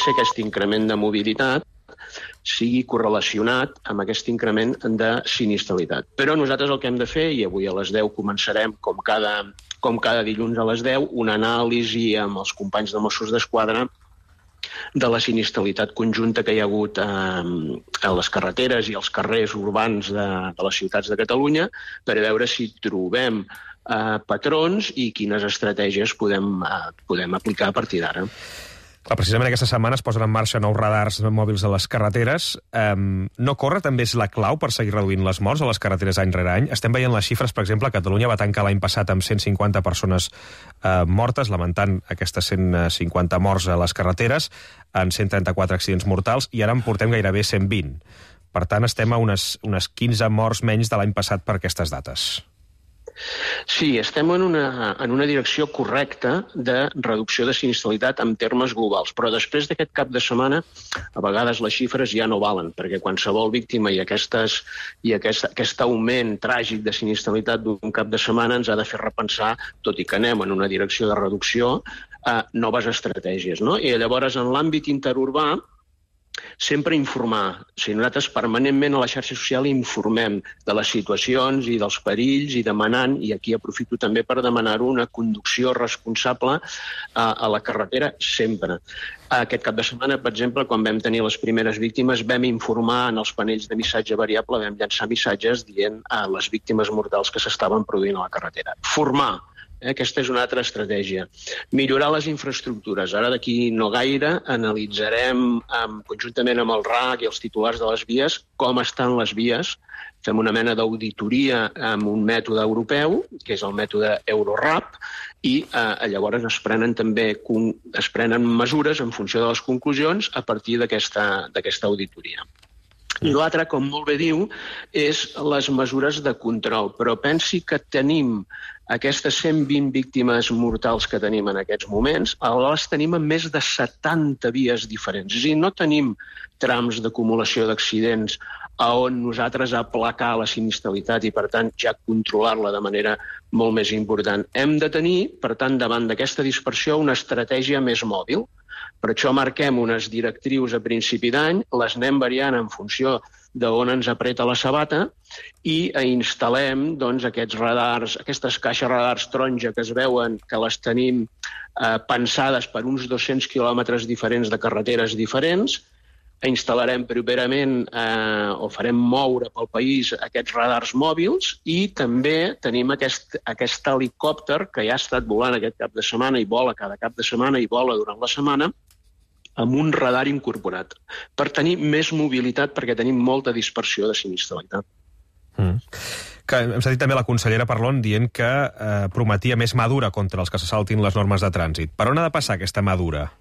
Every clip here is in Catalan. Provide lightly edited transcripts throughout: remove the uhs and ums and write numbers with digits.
ser aquest increment de mobilitat sigui correlacionat amb aquest increment de sinistralitat. Però nosaltres el que hem de fer, i avui a les 10 començarem, com cada dilluns a les 10, una anàlisi amb els companys de Mossos d'Esquadra de la sinistralitat conjunta que hi ha hagut a les carreteres i als carrers urbans de les ciutats de Catalunya per veure si trobem patrons i quines estratègies podem aplicar a partir d'ara. Precisament aquesta setmana es posen en marxa nous radars mòbils a les carreteres. No córrer també és la clau per seguir reduint les morts a les carreteres any rere any? Estem veient les xifres, per exemple, Catalunya va tancar l'any passat amb 150 persones mortes, lamentant aquestes 150 morts a les carreteres, en 134 accidents mortals, i ara en portem gairebé 120. Per tant, estem a unes 15 morts menys de l'any passat per aquestes dates. Sí, estem en una direcció correcta de reducció de sinistralitat en termes globals, però després d'aquest cap de setmana a vegades les xifres ja no valen, perquè qualsevol víctima i aquest augment tràgic de sinistralitat d'un cap de setmana ens ha de fer repensar, tot i que anem en una direcció de reducció, noves estratègies, no? I llavors en l'àmbit interurbà sempre informar. Nosaltres permanentment a la xarxa social informem de les situacions i dels perills i demanant, i aquí aprofito també per demanar-ho, una conducció responsable a la carretera sempre. Aquest cap de setmana, per exemple, quan vam tenir les primeres víctimes, vam informar en els panells de missatge variable, vam llançar missatges dient a les víctimes mortals que s'estaven produint a la carretera. Formar. Aquesta és una altra estratègia. Millorar les infraestructures. Ara d'aquí no gaire analitzarem conjuntament amb el RAC i els titulars de les vies com estan les vies. Fem una mena d'auditoria amb un mètode europeu, que és el mètode Eurorap, i llavors es prenen mesures en funció de les conclusions a partir d'aquesta auditoria. I l'altre, com molt bé diu, és les mesures de control. Però pensi que tenim aquestes 120 víctimes mortals que tenim en aquests moments, les tenim en més de 70 vies diferents. És a dir, no tenim trams d'acumulació d'accidents on nosaltres aplacar la sinistralitat i, per tant, ja controlar-la de manera molt més important. Hem de tenir, per tant, davant d'aquesta dispersió, una estratègia més mòbil. Per això marquem unes directrius a principi d'any, les anem variant en funció d'on ens apreta la sabata i instal·lem aquests radars, aquestes caixes radars taronja que es veuen, que les tenim pensades per uns 200 quilòmetres diferents de carreteres diferents. Instal·larem properament o farem moure pel país aquests radars mòbils i també tenim aquest helicòpter que ja ha estat volant aquest cap de setmana i vola cada cap de setmana i vola durant la setmana amb un radar incorporat per tenir més mobilitat perquè tenim molta dispersió de sinistralitat. Hem sentit també la consellera Parlon dient que prometia més mà dura contra els que se saltin les normes de trànsit. Per on ha de passar aquesta mà dura?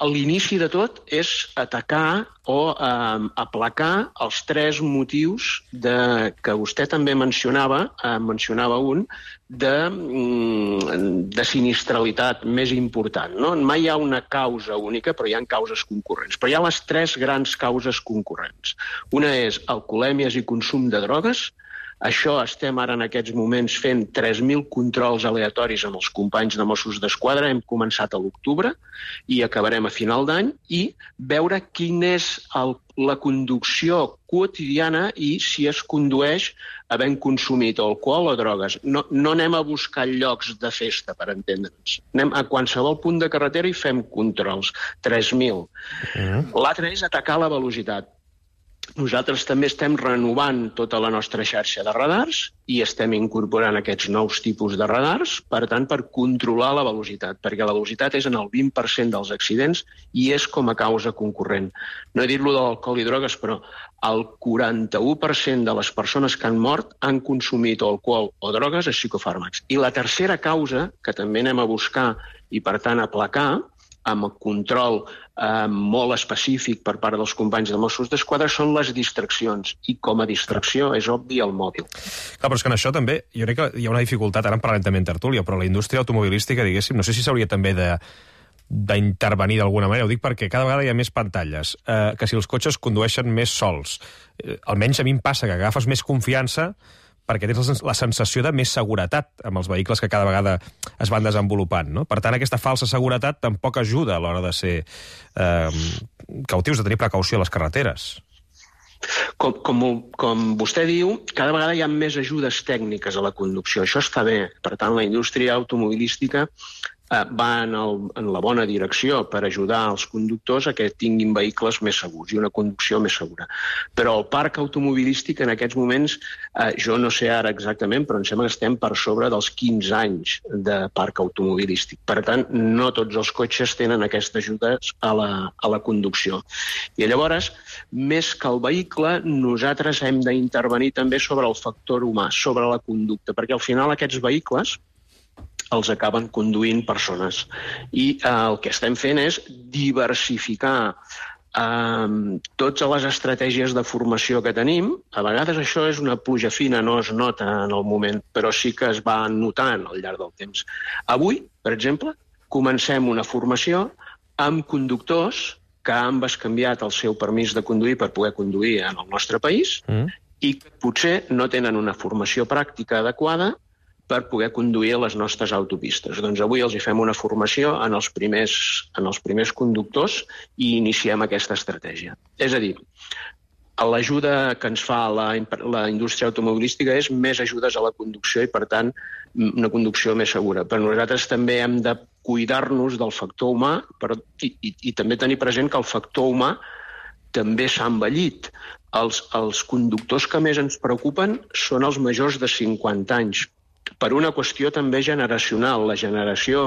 L'inici de tot és atacar o aplacar els 3 motius que vostè també mencionava un, de sinistralitat més important. No? Mai hi ha una causa única, però hi ha causes concurrents. Però hi ha les 3 grans causes concurrents. Una és alcoholèmies i consum de drogues. Això estem ara en aquests moments fent 3.000 controls aleatoris amb els companys de Mossos d'Esquadra. Hem començat a l'octubre i acabarem a final d'any i veure quina és la conducció quotidiana i si es condueix havent consumit alcohol o drogues. No anem a buscar llocs de festa, per entendre'ns. Anem a qualsevol punt de carretera i fem controls. 3.000. L'altre és atacar la velocitat. Nosaltres també estem renovant tota la nostra xarxa de radars i estem incorporant aquests nous tipus de radars, per tant, per controlar la velocitat, perquè la velocitat és en el 20% dels accidents i és com a causa concurrent. No he dit lo de l'alcohol i drogues, però el 41% de les persones que han mort han consumit alcohol o drogues a psicofàrmacs. I la tercera causa, que també anem a buscar i, per tant, aplacar, amb el control molt específic per part dels companys de Mossos d'Esquadra, són les distraccions. I com a distracció és obvi el mòbil. Clar, però és que en això també, jo crec que hi ha una dificultat, ara en parlarem també en tertúlia, però la indústria automobilística, diguéssim, no sé si s'hauria també d'intervenir d'alguna manera. Ho dic perquè cada vegada hi ha més pantalles, que si els cotxes condueixen més sols. Almenys a mi em passa que agafes més confiança perquè tens la sensació de més seguretat amb els vehicles que cada vegada es van desenvolupant, no? Per tant, aquesta falsa seguretat tampoc ajuda a l'hora de ser cautius, de tenir precaució a les carreteres. Com vostè diu, cada vegada hi ha més ajudes tècniques a la conducció. Això està bé. Per tant, la indústria automobilística va en la bona direcció per ajudar els conductors a que tinguin vehicles més segurs i una conducció més segura. Però el parc automobilístic en aquests moments, jo no sé ara exactament, però em sembla que estem per sobre dels 15 anys de parc automobilístic. Per tant, no tots els cotxes tenen aquestes ajudes a la conducció. I llavors, més que el vehicle, nosaltres hem d'intervenir també sobre el factor humà, sobre la conducta, perquè al final aquests vehicles els acaben conduint persones. I el que estem fent és diversificar totes les estratègies de formació que tenim. A vegades això és una pluja fina, no es nota en el moment, però sí que es va notant al llarg del temps. Avui, per exemple, comencem una formació amb conductors que han bescanviat el seu permís de conduir per poder conduir en el nostre país i que potser no tenen una formació pràctica adequada per poder conduir a les nostres autopistes. Doncs avui els hi fem una formació en els primers conductors i iniciem aquesta estratègia. És a dir, l'ajuda que ens fa la indústria automobilística és més ajudes a la conducció i, per tant, una conducció més segura. Però nosaltres també hem de cuidar-nos del factor humà i també tenir present que el factor humà també s'ha envellit. Els conductors que més ens preocupen són els majors de 50 anys, per una qüestió també generacional. La generació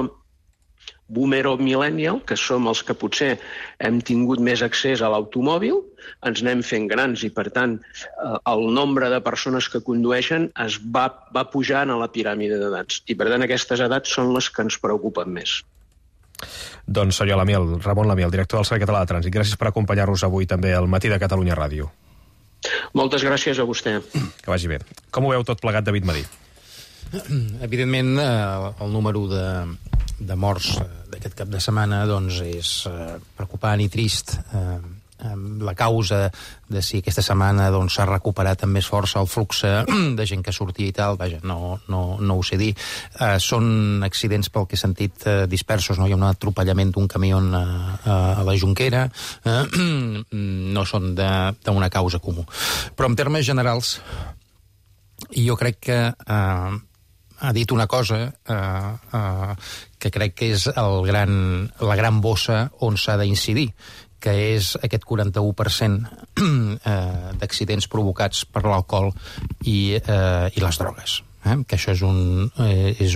boomer o millennial, que som els que potser hem tingut més accés a l'automòbil, ens anem fent grans i, per tant, el nombre de persones que condueixen es va pujant a la piràmide d'edats. I, per tant, aquestes edats són les que ens preocupen més. Doncs, senyor Lamiel, Ramon Lamiel, director del Servei Català de Trànsit, gràcies per acompanyar-nos avui també al Matí de Catalunya Ràdio. Moltes gràcies a vostè. Que vagi bé. Com ho veu tot plegat, David Madí? Evidentment, el número de morts d'aquest cap de setmana doncs, és preocupant i trist. La causa de si aquesta setmana s'ha recuperat amb més força el flux de gent que sortia i tal, vaja, no ho sé dir. Són accidents, pel que he sentit, dispersos, no? Hi ha un atropellament d'un camió a la Jonquera, no són d'una causa comú. Però en termes generals, jo crec que ha dit una cosa que crec que és la gran bossa on s'ha d'incidir, que és aquest 41% d'accidents provocats per l'alcohol i les drogues. Que això és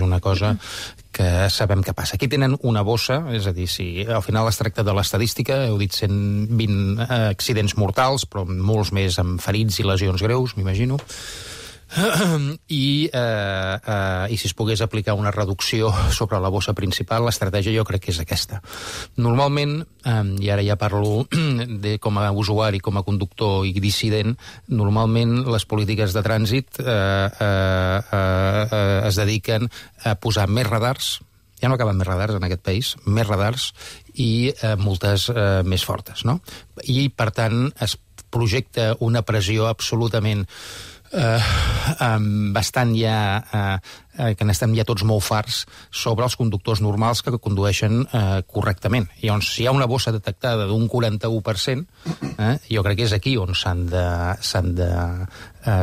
una cosa que sabem que passa. Aquí tenen una bossa, és a dir, si al final es tracta de l'estadística, heu dit 120 accidents mortals, però molts més amb ferits i lesions greus, m'imagino. I si es pogués aplicar una reducció sobre la bossa principal, l'estratègia jo crec que és aquesta. Normalment, i ara ja parlo com a usuari, com a conductor i dissident, normalment les polítiques de trànsit es dediquen a posar més radars, ja no acaben més radars en aquest país, més radars i multes més fortes, no? I, per tant, es projecta una pressió absolutament bastant ja que n'estem ja tots molt farts sobre els conductors normals que condueixen correctament. I llavors, si hi ha una bossa detectada d'un 41%, jo crec que és aquí on s'han de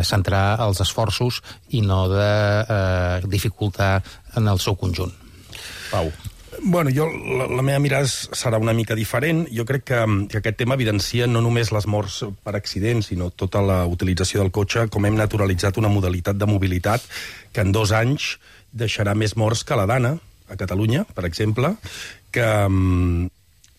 centrar els esforços i no de dificultar en el seu conjunt. Pau. Bueno, la meva mirada serà una mica diferent. Jo crec que aquest tema evidencia no només les morts per accidents, sinó tota la utilització del cotxe, com hem naturalitzat una modalitat de mobilitat que en 2 anys deixarà més morts que la Dana, a Catalunya, per exemple, que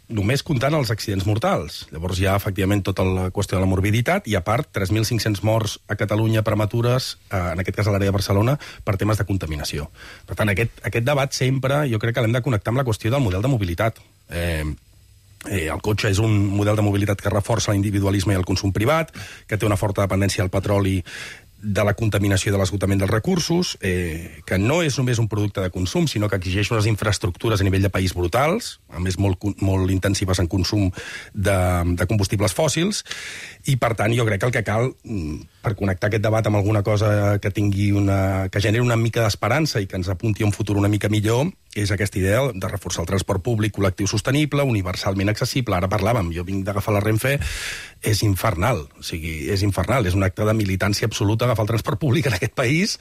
només comptant els accidents mortals. Llavors hi ha, efectivament, tota la qüestió de la morbiditat i, a part, 3.500 morts a Catalunya prematures, en aquest cas a l'àrea de Barcelona, per temes de contaminació. Per tant, aquest debat sempre, jo crec que l'hem de connectar amb la qüestió del model de mobilitat. El cotxe és un model de mobilitat que reforça l'individualisme i el consum privat, que té una forta dependència del petroli, de la contaminació i de l'esgotament dels recursos, que no és només un producte de consum, sinó que exigeix unes infraestructures a nivell de país brutals, a més molt intensives en consum de combustibles fòssils, i per tant jo crec que el que cal, per connectar aquest debat amb alguna cosa que que generi una mica d'esperança i que ens apunti a un futur una mica millor, és aquesta idea de reforçar el transport públic col·lectiu sostenible, universalment accessible. Ara parlàvem, jo vinc d'agafar la Renfe, és infernal, o sigui, és infernal, és un acte de militància absoluta agafar el transport públic en aquest país.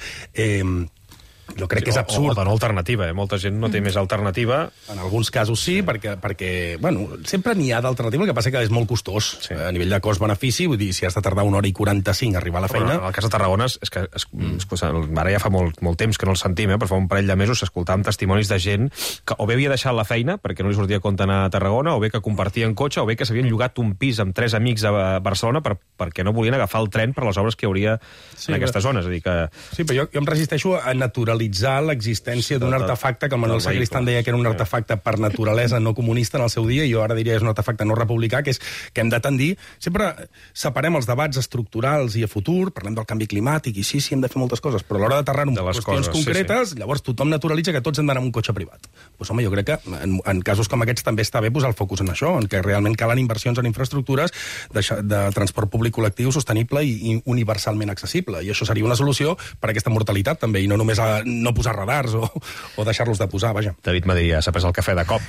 Jo crec que és absurd. O de no alternativa, Molta gent no té més alternativa. En alguns casos sí, perquè bueno, sempre n'hi ha d'alternativa, el que passa que és molt costós. Sí. A nivell de cost-benefici, vull dir, si has de tardar 1 hora i 45 a arribar a la feina... En el cas de Tarragona, és que ara ja fa molt temps que no el sentim, però fa un parell de mesos escoltàvem testimonis de gent que o bé havia deixat la feina perquè no li sortia a compte anar a Tarragona, o bé que compartien cotxe, o bé que s'havien llogat un pis amb 3 amics a Barcelona perquè no volien agafar el tren per les obres que hi hauria en aquesta zona. És a dir que... Sí, però jo em resisteixo a naturalitzar l'existència d'un artefacte que el Manuel Sacristán deia que era un artefacte per naturalesa no comunista en el seu dia, i jo ara diria que és un artefacte no republicà, que és que hem de tendir... Sempre separem els debats estructurals i a futur, parlem del canvi climàtic, i sí, hem de fer moltes coses, però a l'hora d'aterrar en qüestions concretes, llavors tothom naturalitza que tots hem d'anar amb un cotxe privat. Doncs home, jo crec que en casos com aquests també està bé posar el focus en això, en què realment calen inversions en infraestructures de transport públic col·lectiu sostenible i universalment accessible. I això seria una solució per a aquesta mortalitat, també, i no només no posar radars o deixar-los de posar, vaja. David Madia s'ha pres el cafè de cop.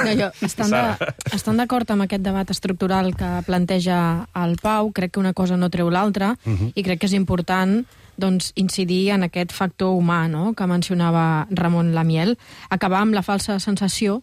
No, jo, estan d'acord amb aquest debat estructural que planteja el Pau, crec que una cosa no treu l'altra, i crec que és important doncs, incidir en aquest factor humà, no?, que mencionava Ramon Lamiel, acabar amb la falsa sensació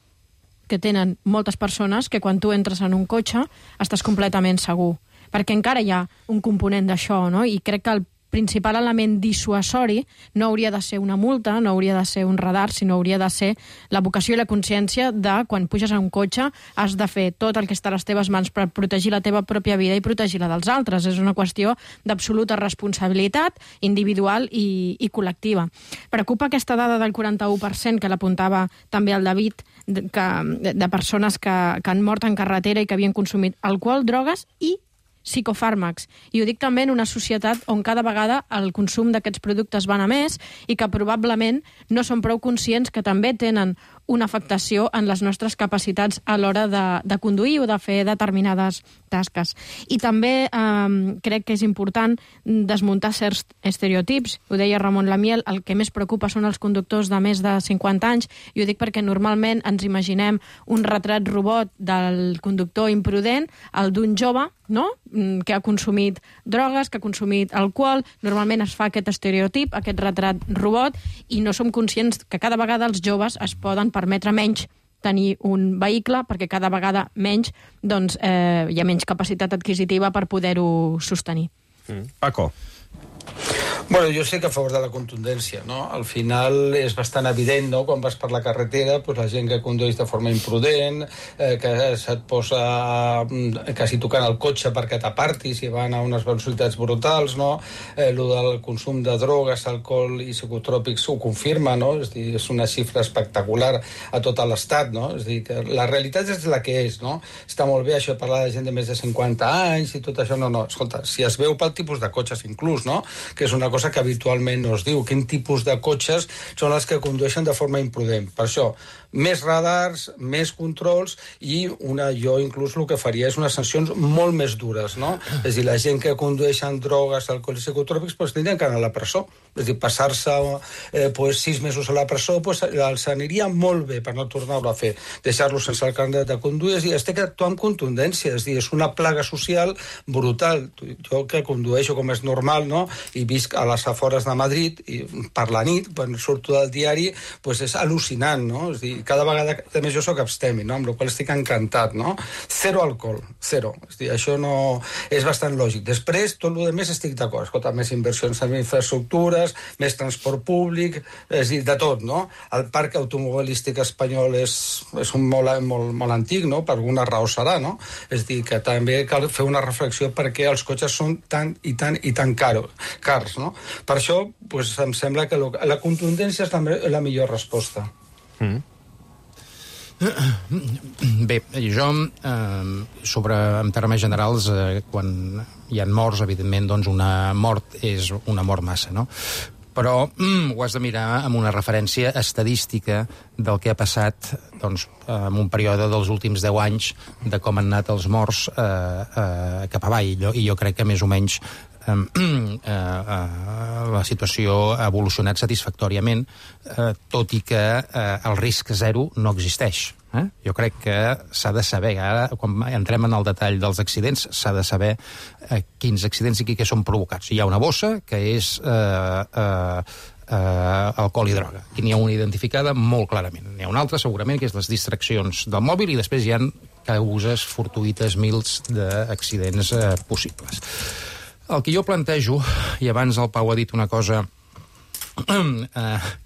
que tenen moltes persones que quan tu entres en un cotxe estàs completament segur, perquè encara hi ha un component d'això, no?, i crec que el principal element dissuasori no hauria de ser una multa, no hauria de ser un radar, sinó hauria de ser la vocació i la consciència de quan puges a un cotxe has de fer tot el que està a les teves mans per protegir la teva pròpia vida i protegir la dels altres. És una qüestió d'absoluta responsabilitat individual i col·lectiva. Preocupa aquesta dada del 41% que l'apuntava també el David, de persones que han mort en carretera i que havien consumit alcohol, drogues i psicofàrmacs. I ho dic també en una societat on cada vegada el consum d'aquests productes van a més i que probablement no són prou conscients que també tenen una afectació en les nostres capacitats a l'hora de conduir o de fer determinades tasques. I també crec que és important desmuntar certs estereotips. Ho deia Ramon Lamiel, el que més preocupa són els conductors de més de 50 anys, i ho dic perquè normalment ens imaginem un retrat robot del conductor imprudent, el d'un jove, no?, que ha consumit drogues, que ha consumit alcohol. Normalment es fa aquest estereotip, aquest retrat robot, i no som conscients que cada vegada els joves es poden permetre menys tenir un vehicle, perquè cada vegada menys doncs, hi ha menys capacitat adquisitiva per poder-ho sostenir. Paco. Bueno, jo sé que a favor de la contundència, no? Al final és bastant evident, no?, quan vas per la carretera, doncs la gent que condueix de forma imprudent, que se't posa quasi tocant el cotxe perquè t'apartis i van a unes velocitats brutals, no? Lo del consum de drogues, alcohol i psicotròpics ho confirma, no? És dir, és una xifra espectacular a tot l'estat, no? És dir, que la realitat és la que és, no? Està molt bé això de parlar de gent de més de 50 anys i tot això, no. Escolta, si es veu pel tipus de cotxes inclús, no?, que és una cosa que habitualment no es diu, quin tipus de cotxes són els que condueixen de forma imprudent. Per això, més radars, més controls i jo inclús el que faria és unes sancions molt més dures, no? És a dir, la gent que condueix amb drogues, alcohol i psicotròpics, doncs tindrien que anar a la presó. És a dir, passar-se 6 mesos a la presó els aniria molt bé per no tornar-ho a fer. Deixar-los sense el carnet de conduir, és a dir, es té que actuar amb contundència, és a dir, és una plaga social brutal. Jo que condueixo com és normal, no?, i visc a les afores de Madrid i per la nit, quan surto del diari, doncs és al·lucinant, no? És a dir, cada vegada que més jo soc abstemi, no?, amb la qual estic encantat, no? Zero alcohol, zero. És a dir, això no és bastant lògic. Després, tot el que més estic d'acord. Escolta, més inversions en infraestructures, més transport públic, és a dir, de tot, no? El parc automobilístic espanyol és un molt antic, no? Per alguna raó serà, no? És a dir, que també cal fer una reflexió perquè els cotxes són tan i tan cars, no? Per això, doncs, em sembla que la contundència és la millor resposta. Bé, jo, en termes generals, quan hi ha morts, evidentment, doncs una mort és una mort massa, no? però ho has de mirar amb una referència estadística del que ha passat doncs, en un període dels últims 10 anys de com han anat els morts cap avall. I jo crec que més o menys la situació ha evolucionat satisfactòriament, tot i que el risc zero no existeix. Jo crec que s'ha de saber, ara quan entrem en el detall dels accidents, s'ha de saber quins accidents i què són provocats. Hi ha una bossa que és alcohol i droga. Aquí n'hi ha una identificada molt clarament. N'hi ha una altra, segurament, que és les distraccions del mòbil, i després hi ha causes fortuïtes mils d'accidents possibles. El que jo plantejo, i abans el Pau ha dit una cosa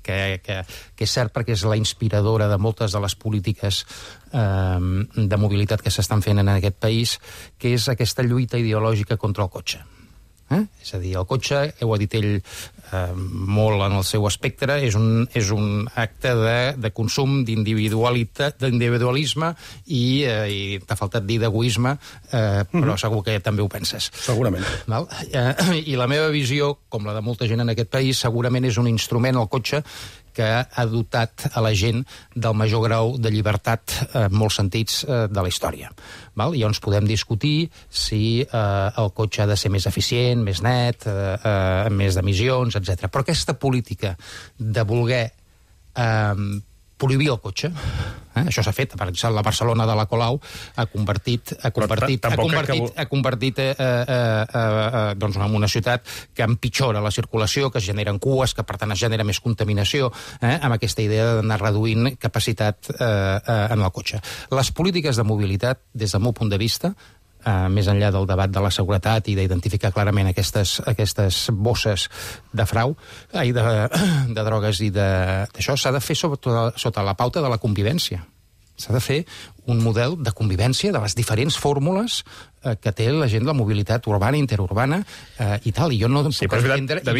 que és cert perquè és la inspiradora de moltes de les polítiques de mobilitat que s'estan fent en aquest país, que és aquesta lluita ideològica contra el cotxe. És a dir, el cotxe, ho ha dit ell molt en el seu espectre, és un acte de consum, d'individualisme i t'ha faltat dir d'egoisme, però segur que també ho penses. Segurament. Val? I la meva visió, com la de molta gent en aquest país, segurament és un instrument, el cotxe, que ha dotat a la gent del major grau de llibertat en molts sentits de la història. Val? Llavors podem discutir si el cotxe ha de ser més eficient, més net, amb més d'emissions, etc. Però aquesta política de voler prohibir el cotxe, això s'ha fet, per exemple, la Barcelona de la Colau ha convertit doncs, en una ciutat que empitjora la circulació, que es generen cues, que per tant es genera més contaminació, amb aquesta idea d'anar reduint capacitat en el cotxe. Les polítiques de mobilitat, des del meu punt de vista, més enllà del debat de la seguretat i d'identificar clarament aquestes bosses de frau, de drogues i d'això, s'ha de fer sota la pauta de la convivència. S'ha de fer un model de convivència de les diferents fórmules que té la gent de la mobilitat urbana, interurbana i tal. I jo no puc entendre a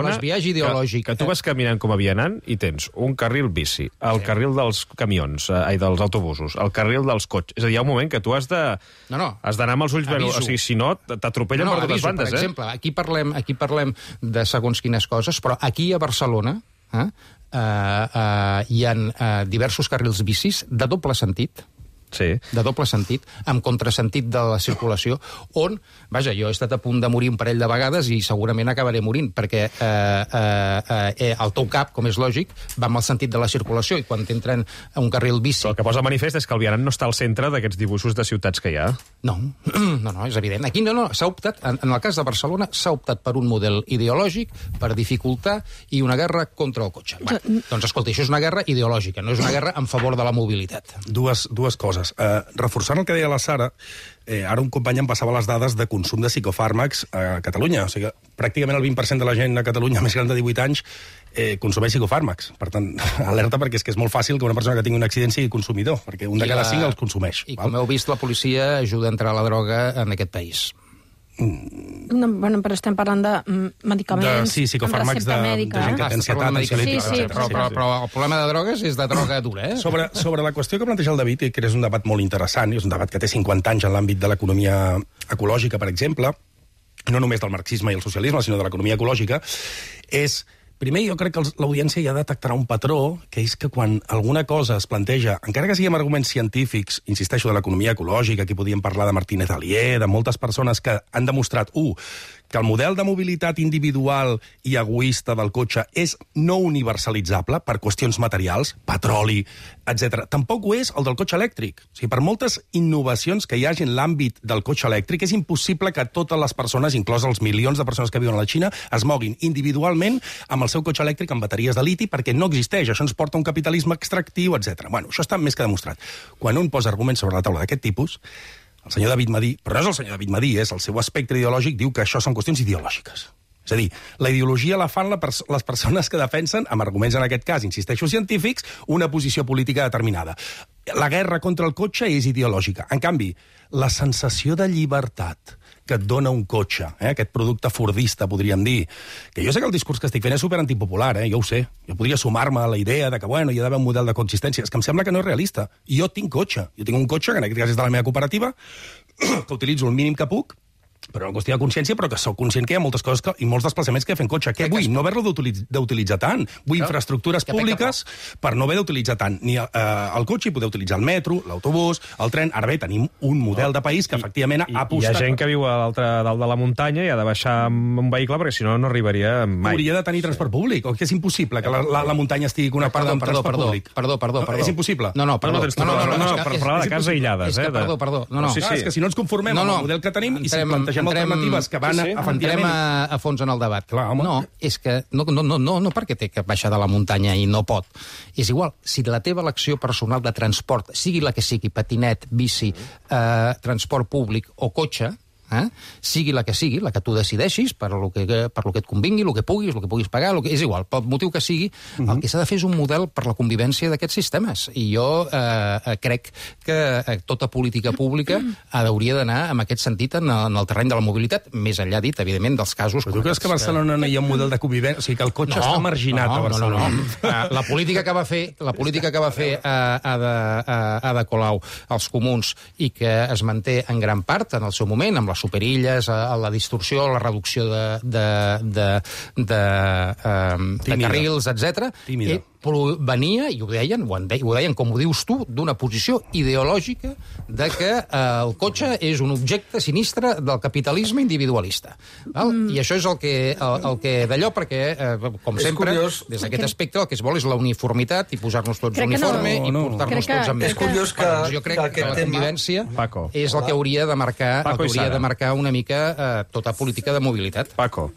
les vies ideològiques. Que tu vas caminant com a vianant i tens un carril bici, el carril dels camions, dels autobusos, el carril dels cotxes. És a dir, hi ha un moment que tu has d'anar amb els ulls ben... O sigui, si no, t'atropellen per totes bandes. Per exemple, aquí parlem de segons quines coses, però aquí a Barcelona hi ha diversos carrils bicis de doble sentit, amb contrasentit de la circulació, on, vaja, jo he estat a punt de morir un parell de vegades i segurament acabaré morint, perquè el teu cap, com és lògic, va amb el sentit de la circulació, i quan t'entren a un carril bici... Però el que posa manifest és que el vianant no està al centre d'aquests dibuixos de ciutats que hi ha. No, és evident. Aquí s'ha optat, en el cas de Barcelona, s'ha optat per un model ideològic per dificultar i una guerra contra el cotxe. Doncs escolta, això és una guerra ideològica, no és una guerra en favor de la mobilitat. Dues coses. Reforçant el que deia la Sara, ara un company em passava les dades de consum de psicofàrmacs a Catalunya. O sigui, pràcticament el 20% de la gent a Catalunya més gran de 18 anys consumeix psicofàrmacs. Per tant, alerta, perquè és que és molt fàcil que una persona que tingui un accident sigui consumidor, perquè un de cada 5 els consumeix. I com heu vist, la policia ajuda a entrar la droga en aquest país. Bueno, però estem parlant de medicaments amb recepta mèdica. De gent que té ansietat, però el problema de drogues és de droga dura, Sobre la qüestió que planteja el David, que és un debat molt interessant, és un debat que té 50 anys en l'àmbit de l'economia ecològica, per exemple, no només del marxisme i el socialisme, sinó de l'economia ecològica, és... Primer, jo crec que l'audiència ja detectarà un patró, que és que quan alguna cosa es planteja, encara que sigui amb arguments científics, insisteixo, de l'economia ecològica, aquí podíem parlar de Martínez Alier, de moltes persones que han demostrat, que el model de mobilitat individual i egoista del cotxe és no universalitzable per qüestions materials, petroli, etc. Tampoc ho és el del cotxe elèctric. O sigui, per moltes innovacions que hi hagi en l'àmbit del cotxe elèctric, és impossible que totes les persones, inclòs els milions de persones que viuen a la Xina, es moguin individualment amb el seu cotxe elèctric amb bateries de liti, perquè no existeix. Això ens porta a un capitalisme extractiu, etc. Bueno, això està més que demostrat. Quan un posa arguments sobre la taula d'aquest tipus, el senyor David Madí, però no és el senyor David Madí, és el seu espectre ideològic, diu que això són qüestions ideològiques. És a dir, la ideologia la fan les persones que defensen, amb arguments en aquest cas, insisteixo, científics, una posició política determinada. La guerra contra el cotxe és ideològica. En canvi, la sensació de llibertat que et dona un cotxe, aquest producte fordista, podríem dir, que jo sé que el discurs que estic fent és superantipopular, jo ho sé. Jo podria sumar-me a la idea de que, hi ha d'haver un model de coexistència. És que em sembla que no és realista. Jo tinc cotxe. Jo tinc un cotxe, que en aquest cas és de la meva cooperativa, que utilitzo el mínim que puc, per una qüestió de consciència, però que sóc conscient que hi ha moltes coses i molts desplaçaments que fem cotxe. Què vull? No haver-lo d'utilitzar tant. Vull infraestructures públiques per no haver d'utilitzar tant ni el cotxe i poder utilitzar el metro, l'autobús, el tren. Ara bé, tenim un model de país que efectivament ha apostat... Hi ha gent que viu a l'altre dalt de la muntanya i ha de baixar amb un vehicle perquè si no, no arribaria mai. Hauria de tenir transport públic, o que és impossible que la muntanya estigui connectada amb transport públic? Perdó. És impossible? No, perdó. Per parlar de cases aïllades. Perdó. És que si no ens conformem amb el model que tenim i si plantegem alternatives que van efectivament... Entrem a fons en el debat. Clar, home. No, és que no perquè té que baixar de la muntanya i no pot. És igual, si la teva elecció personal de transport, sigui la que sigui, patinet, bici, transport públic o cotxe, sigui la que tu decideixis, per lo que et convingui, el que puguis pagar, és igual, pel motiu que sigui, el que s'ha de fer és un model per la convivència d'aquests sistemes. I jo crec que tota política pública hauria d'anar en aquest sentit en el terreny de la mobilitat, més enllà dit, evidentment, dels casos... Però tu creus que a Barcelona no hi ha un model de convivència? O sigui, que el cotxe està marginat a Barcelona. No. La política que va fer Ada Colau als comuns i que es manté en gran part en el seu moment, amb les superilles, a la distorsió, a la reducció de carrils, etc. Venia, i ho deien, com ho dius tu, d'una posició ideològica de que el cotxe és un objecte sinistre del capitalisme individualista. I això és el que d'allò, perquè, com sempre, des d'aquest aspecte, el que es vol és la uniformitat i posar-nos tots uniforme i portar-nos tots amb més. És curiós que... Jo crec que la convivència és el que hauria de marcar una mica tota política de mobilitat. Paco.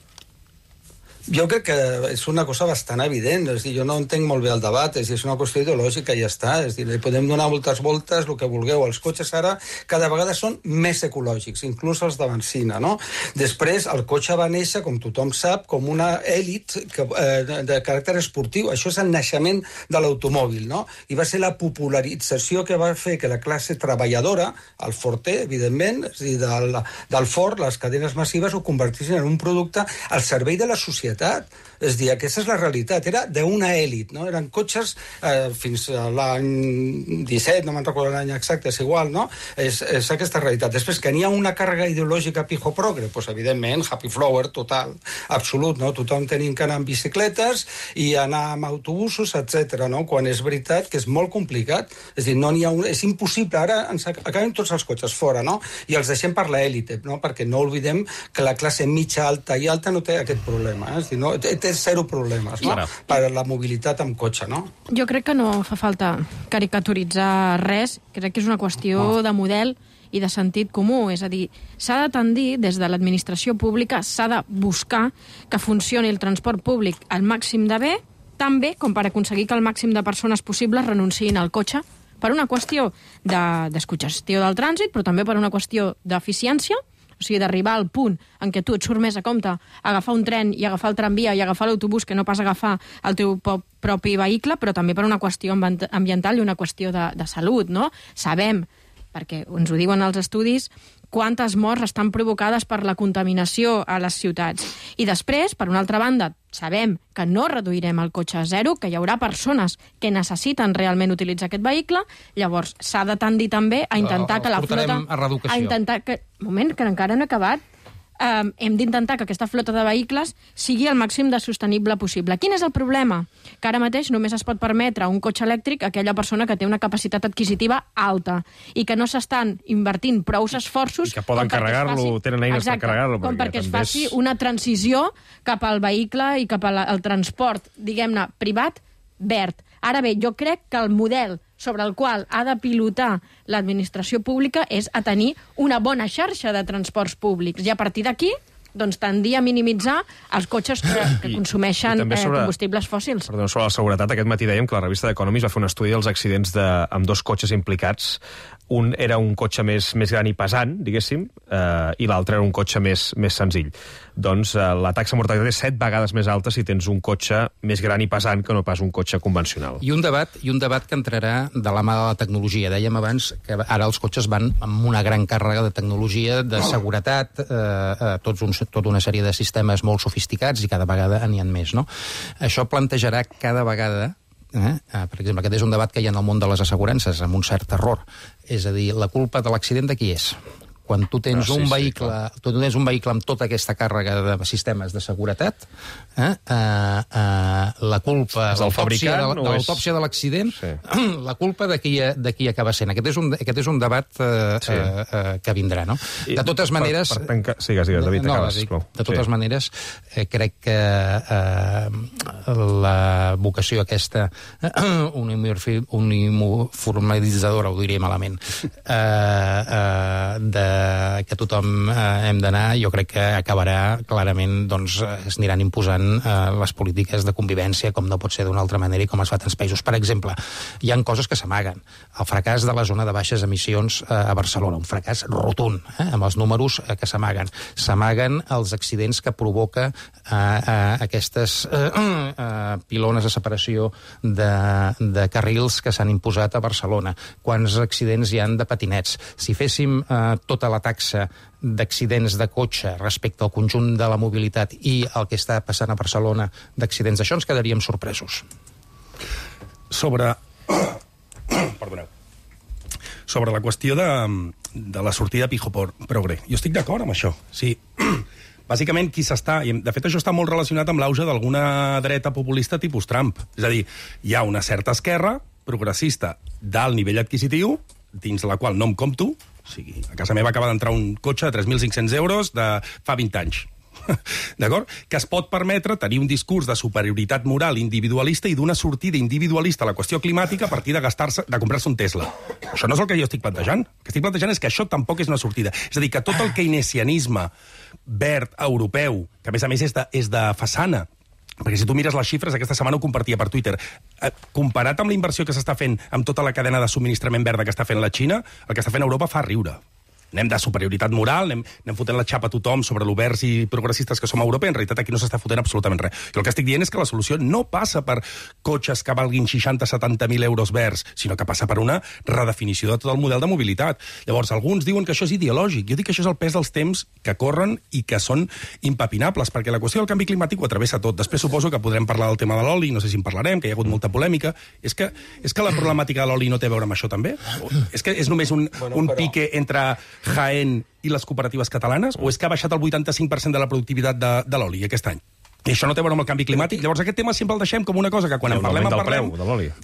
Jo crec que és una cosa bastant evident, és a dir, jo no entenc molt bé el debat, és a dir, és una qüestió ideològica i ja està, és a dir, li podem donar moltes voltes, el que vulgueu. Els cotxes ara cada vegada són més ecològics, inclús els de benzina, no? Després, el cotxe va néixer, com tothom sap, com una èlit de caràcter esportiu. Això és el naixement de l'automòbil, no? I va ser la popularització que va fer que la classe treballadora, el Forte, evidentment, és a dir, del Ford, les cadenes massives, ho convertissin en un producte al servei de la societat. És a dir, aquesta és la realitat. Era d'una èlit, no? Eren cotxes fins a l'any 17, no me'n recordo l'any exacte, és igual, no? És aquesta realitat. Després, que n'hi ha una càrrega ideològica pijo progre, doncs evidentment, happy flower total, absolut, no? Tothom tenim que anar amb bicicletes i anar amb autobusos, etc. no? Quan és veritat que és molt complicat. És a dir, no n'hi ha és impossible. Ara ens acabem tots els cotxes fora, no? I els deixem per l'èlite, no? Perquè no oblidem que la classe mitja, alta i alta no té aquest problema, És a dir, no, té zero problemes, no? Per la mobilitat amb cotxe, no? Jo crec que no fa falta caricaturitzar res. Crec que és una qüestió de model i de sentit comú. És a dir, s'ha de tendir, des de l'administració pública, s'ha de buscar que funcioni el transport públic al màxim de bé, tan bé com per aconseguir que el màxim de persones possibles renunciïn al cotxe per una qüestió de descongestió del trànsit, però també per una qüestió d'eficiència, o sigui, d'arribar al punt en què tu et surt més a compte agafar un tren i agafar el tramvia i agafar l'autobús que no pas agafar el teu propi vehicle, però també per una qüestió ambiental i una qüestió de salut, no? Sabem, perquè ens ho diuen els estudis, quantes morts estan provocades per la contaminació a les ciutats. I després, per una altra banda, sabem que no reduirem el cotxe a zero, que hi haurà persones que necessiten realment utilitzar aquest vehicle, llavors s'ha de tendir també a intentar que la flota... a reeducació. A intentar que... Moment, que encara no he acabat. Hem d'intentar que aquesta flota de vehicles sigui el màxim de sostenible possible. Quin és el problema? Que ara mateix només es pot permetre un cotxe elèctric a aquella persona que té una capacitat adquisitiva alta i que no s'estan invertint prous esforços... I que poden carregar-lo, tenen eines per carregar-lo. Com perquè es faci una transició cap al vehicle i cap al transport, diguem-ne, privat, verd. Ara bé, jo crec que el model sobre el qual ha de pilotar l'administració pública és a tenir una bona xarxa de transports públics. I a partir d'aquí, doncs, tendir a minimitzar els cotxes que consumeixen combustibles fòssils. Perdó, sobre la seguretat, aquest matí dèiem que la revista d'Economist va fer un estudi dels accidents amb dos cotxes implicats. Un era un cotxe més gran i pesant, diguéssim, i l'altre era un cotxe més senzill. Doncs la taxa de mortalitat és 7 vegades més alta si tens un cotxe més gran i pesant que no pas un cotxe convencional. I un debat que entrarà de la mà de la tecnologia. Dèiem abans que ara els cotxes van amb una gran càrrega de tecnologia, de seguretat, tota una sèrie de sistemes molt sofisticats i cada vegada n'hi ha més, no? Això plantejarà cada vegada per exemple, aquest és un debat que hi ha en el món de les assegurances, amb un cert error. És a dir, la culpa de l'accident de qui és? quan tu tens un vehicle amb tota aquesta càrrega de sistemes de seguretat, la culpa de l'autòpsia de l'accident, la culpa de qui acaba sent. Aquest és un debat que vindrà, no? De totes maneres... Sigues, David, acabes, sisplau. De totes maneres, crec que la vocació aquesta uniformalitzadora, ho diré malament, que tothom hem d'anar, jo crec que acabarà clarament, doncs es aniran imposant les polítiques de convivència com no pot ser d'una altra manera i com es fa a tants països. Per exemple, hi ha coses que s'amaguen. El fracàs de la zona de baixes emissions a Barcelona, un fracàs rotund, amb els números que s'amaguen. S'amaguen els accidents que provoca aquestes pilones de separació de carrils que s'han imposat a Barcelona. Quants accidents hi han de patinets? Si féssim tota la taxa d'accidents de cotxe respecte al conjunt de la mobilitat i el que està passant a Barcelona d'accidents d'això, ens quedaríem sorpresos. Sobre la qüestió de la sortida Pijo Progre, jo estic d'acord amb això. Sí. Bàsicament, qui s'està... De fet, això està molt relacionat amb l'auge d'alguna dreta populista tipus Trump. És a dir, hi ha una certa esquerra progressista d'alt nivell adquisitiu, dins la qual no em compto, o sigui, a casa meva acaba d'entrar un cotxe de 3.500 euros de fa 20 anys. D'acord? Que es pot permetre tenir un discurs de superioritat moral individualista i d'una sortida individualista a la qüestió climàtica a partir de comprar-se un Tesla. Això no és el que jo estic plantejant. El que estic plantejant és que això tampoc és una sortida. És a dir, que tot el keynesianisme verd europeu, que a més és de façana, perquè si tu mires les xifres, aquesta setmana ho compartia per Twitter, comparat amb la inversió que s'està fent amb tota la cadena de subministrament verda que està fent la Xina, el que està fent Europa fa riure. Anem de superioritat moral, anem fotent la xapa a tothom sobre l'oberts i progressistes que som a Europa, i en realitat aquí no s'està fotent absolutament res. I el que estic dient és que la solució no passa per cotxes que valguin 60-70.000 euros verds, sinó que passa per una redefinició de tot el model de mobilitat. Llavors, alguns diuen que això és ideològic. Jo dic que això és el pes dels temps que corren i que són impepinables, perquè la qüestió del canvi climàtic ho travessa tot. Després suposo que podrem parlar del tema de l'oli, no sé si en parlarem, que hi ha hagut molta polèmica. És que la problemàtica de l'oli no té a veure amb això, també? És que és només un pique entre Jaén i les cooperatives catalanes, o és que ha baixat el 85% de la productivitat de l'oli aquest any? I això no té a veure amb el canvi climàtic. Llavors aquest tema sempre el deixem com una cosa que quan en parlem,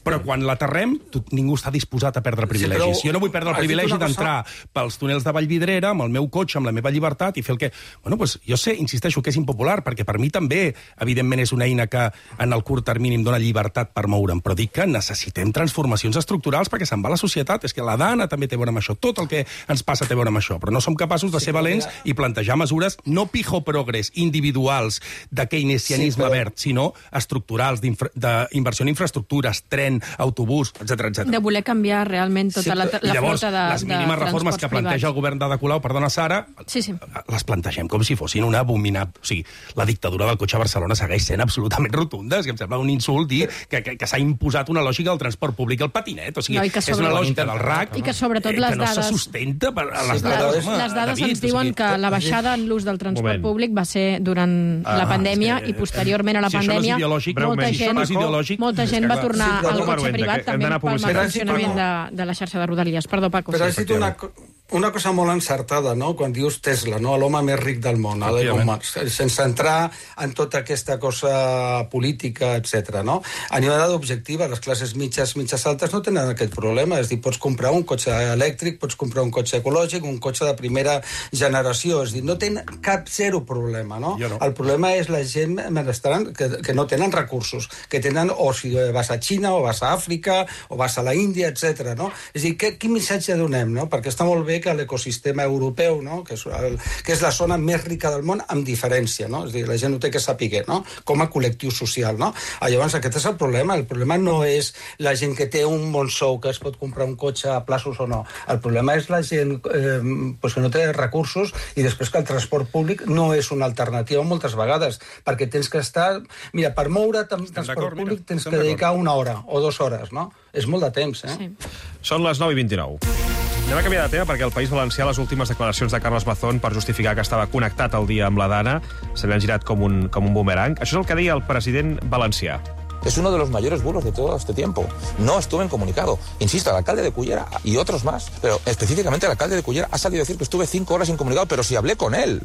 però quan l'aterrem ningú està disposat a perdre privilegis. Jo no vull perdre el privilegi d'entrar pels túnels de Vallvidrera amb el meu cotxe, amb la meva llibertat, i fer el que... Bueno, doncs jo sé, insisteixo, que és impopular, perquè per mi també, evidentment, és una eina que en el curt termini em dona llibertat per moure'm, però dic que necessitem transformacions estructurals perquè se'n va la societat. És que la dana també té a veure amb això, tot el que ens passa té a veure amb això, però no som capaços de ser valents i plantejar mesures no pijo progres individuals de keynesianisme verd, sinó estructurals, d'inversió en infraestructures, tren, autobús, etc. De voler canviar realment tota la flota de les mínimes reformes que planteja el govern d'Ada Colau, perdona, Sara, les plantegem com si fossin una abominable... O sigui, la dictadura del cotxe a Barcelona segueix sent absolutament rotunda, que em sembla un insult dir que s'ha imposat una lògica del transport públic al patinet. O sigui, és una lògica del RAC i que sobretot les dades... no se sustenta per les dades. Les dades ens diuen que la baixada en l'ús del transport públic va ser durant la pandèmia i posteriorment a la pandèmia molta gent va tornar al cotxe privat també pel mal funcionament de la xarxa de Rodalies. Perdó, Paco. Però has dit una cosa molt encertada, no?, quan dius Tesla, no?, l'home més ric del món, sense entrar en tota aquesta cosa política, etc. no? A nivell d'objectiva, les classes mitges altes no tenen aquest problema. És dir, pots comprar un cotxe elèctric, pots comprar un cotxe ecològic, un cotxe de primera generació. És dir, no tenen cap zero problema, no? El problema és la gent benestant que no tenen recursos, que tenen, o si vas a Xina, o vas a Àfrica, o vas a la Índia, etc. no? És dir, quin missatge donem, no? Perquè està molt bé que l'ecosistema europeu, no?, que és la zona més rica del món, amb diferència, no? És dir, la gent ho té que saber, no?, com a col·lectiu social, no? Llavors, aquest és el problema. El problema no és la gent que té un bon sou, que es pot comprar un cotxe a plaços o no. El problema és la gent que no té recursos i després que el transport públic no és una alternativa moltes vegades, perquè tens que estar... Mira, per moure transport públic tens que dedicar 1 hora o 2 hores, no? És molt de temps, Sí. Són les 9:29. Anem a canviar de tema perquè el País Valencià, les últimes declaracions de Carles Mazón per justificar que estava connectat al dia amb la Dana, se li han girat com un bumerang. Això és el que deia el president valencià. Es uno de los mayores bulos de todo este tiempo. No estuve en comunicado. Insisto, el alcalde de Cullera y otros más, pero específicamente el alcalde de Cullera ha salido a decir que estuve 5 horas incomunicado, pero si hablé con él,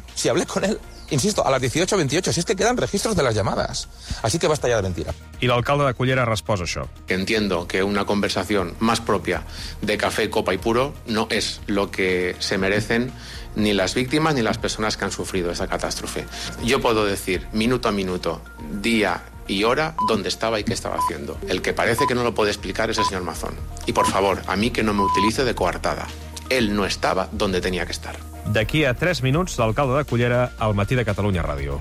insisto, a las 18:28, si es que quedan registros de las llamadas. Así que basta ya de mentira. I l'alcalde de Cullera resposa això. Entiendo que una conversación más propia de café, copa y puro no es lo que se merecen ni las víctimas ni las personas que han sufrido esa catástrofe. Yo puedo decir minuto a minuto, día y hora, dónde estaba y qué estaba haciendo. El que parece que no lo puede explicar es el señor Mazón. Y por favor, a mí que no me utilice de coartada. Él no estava donde tenía que estar. D'aquí a 3 minuts, l'alcalde de Cullera al Matí de Catalunya Ràdio.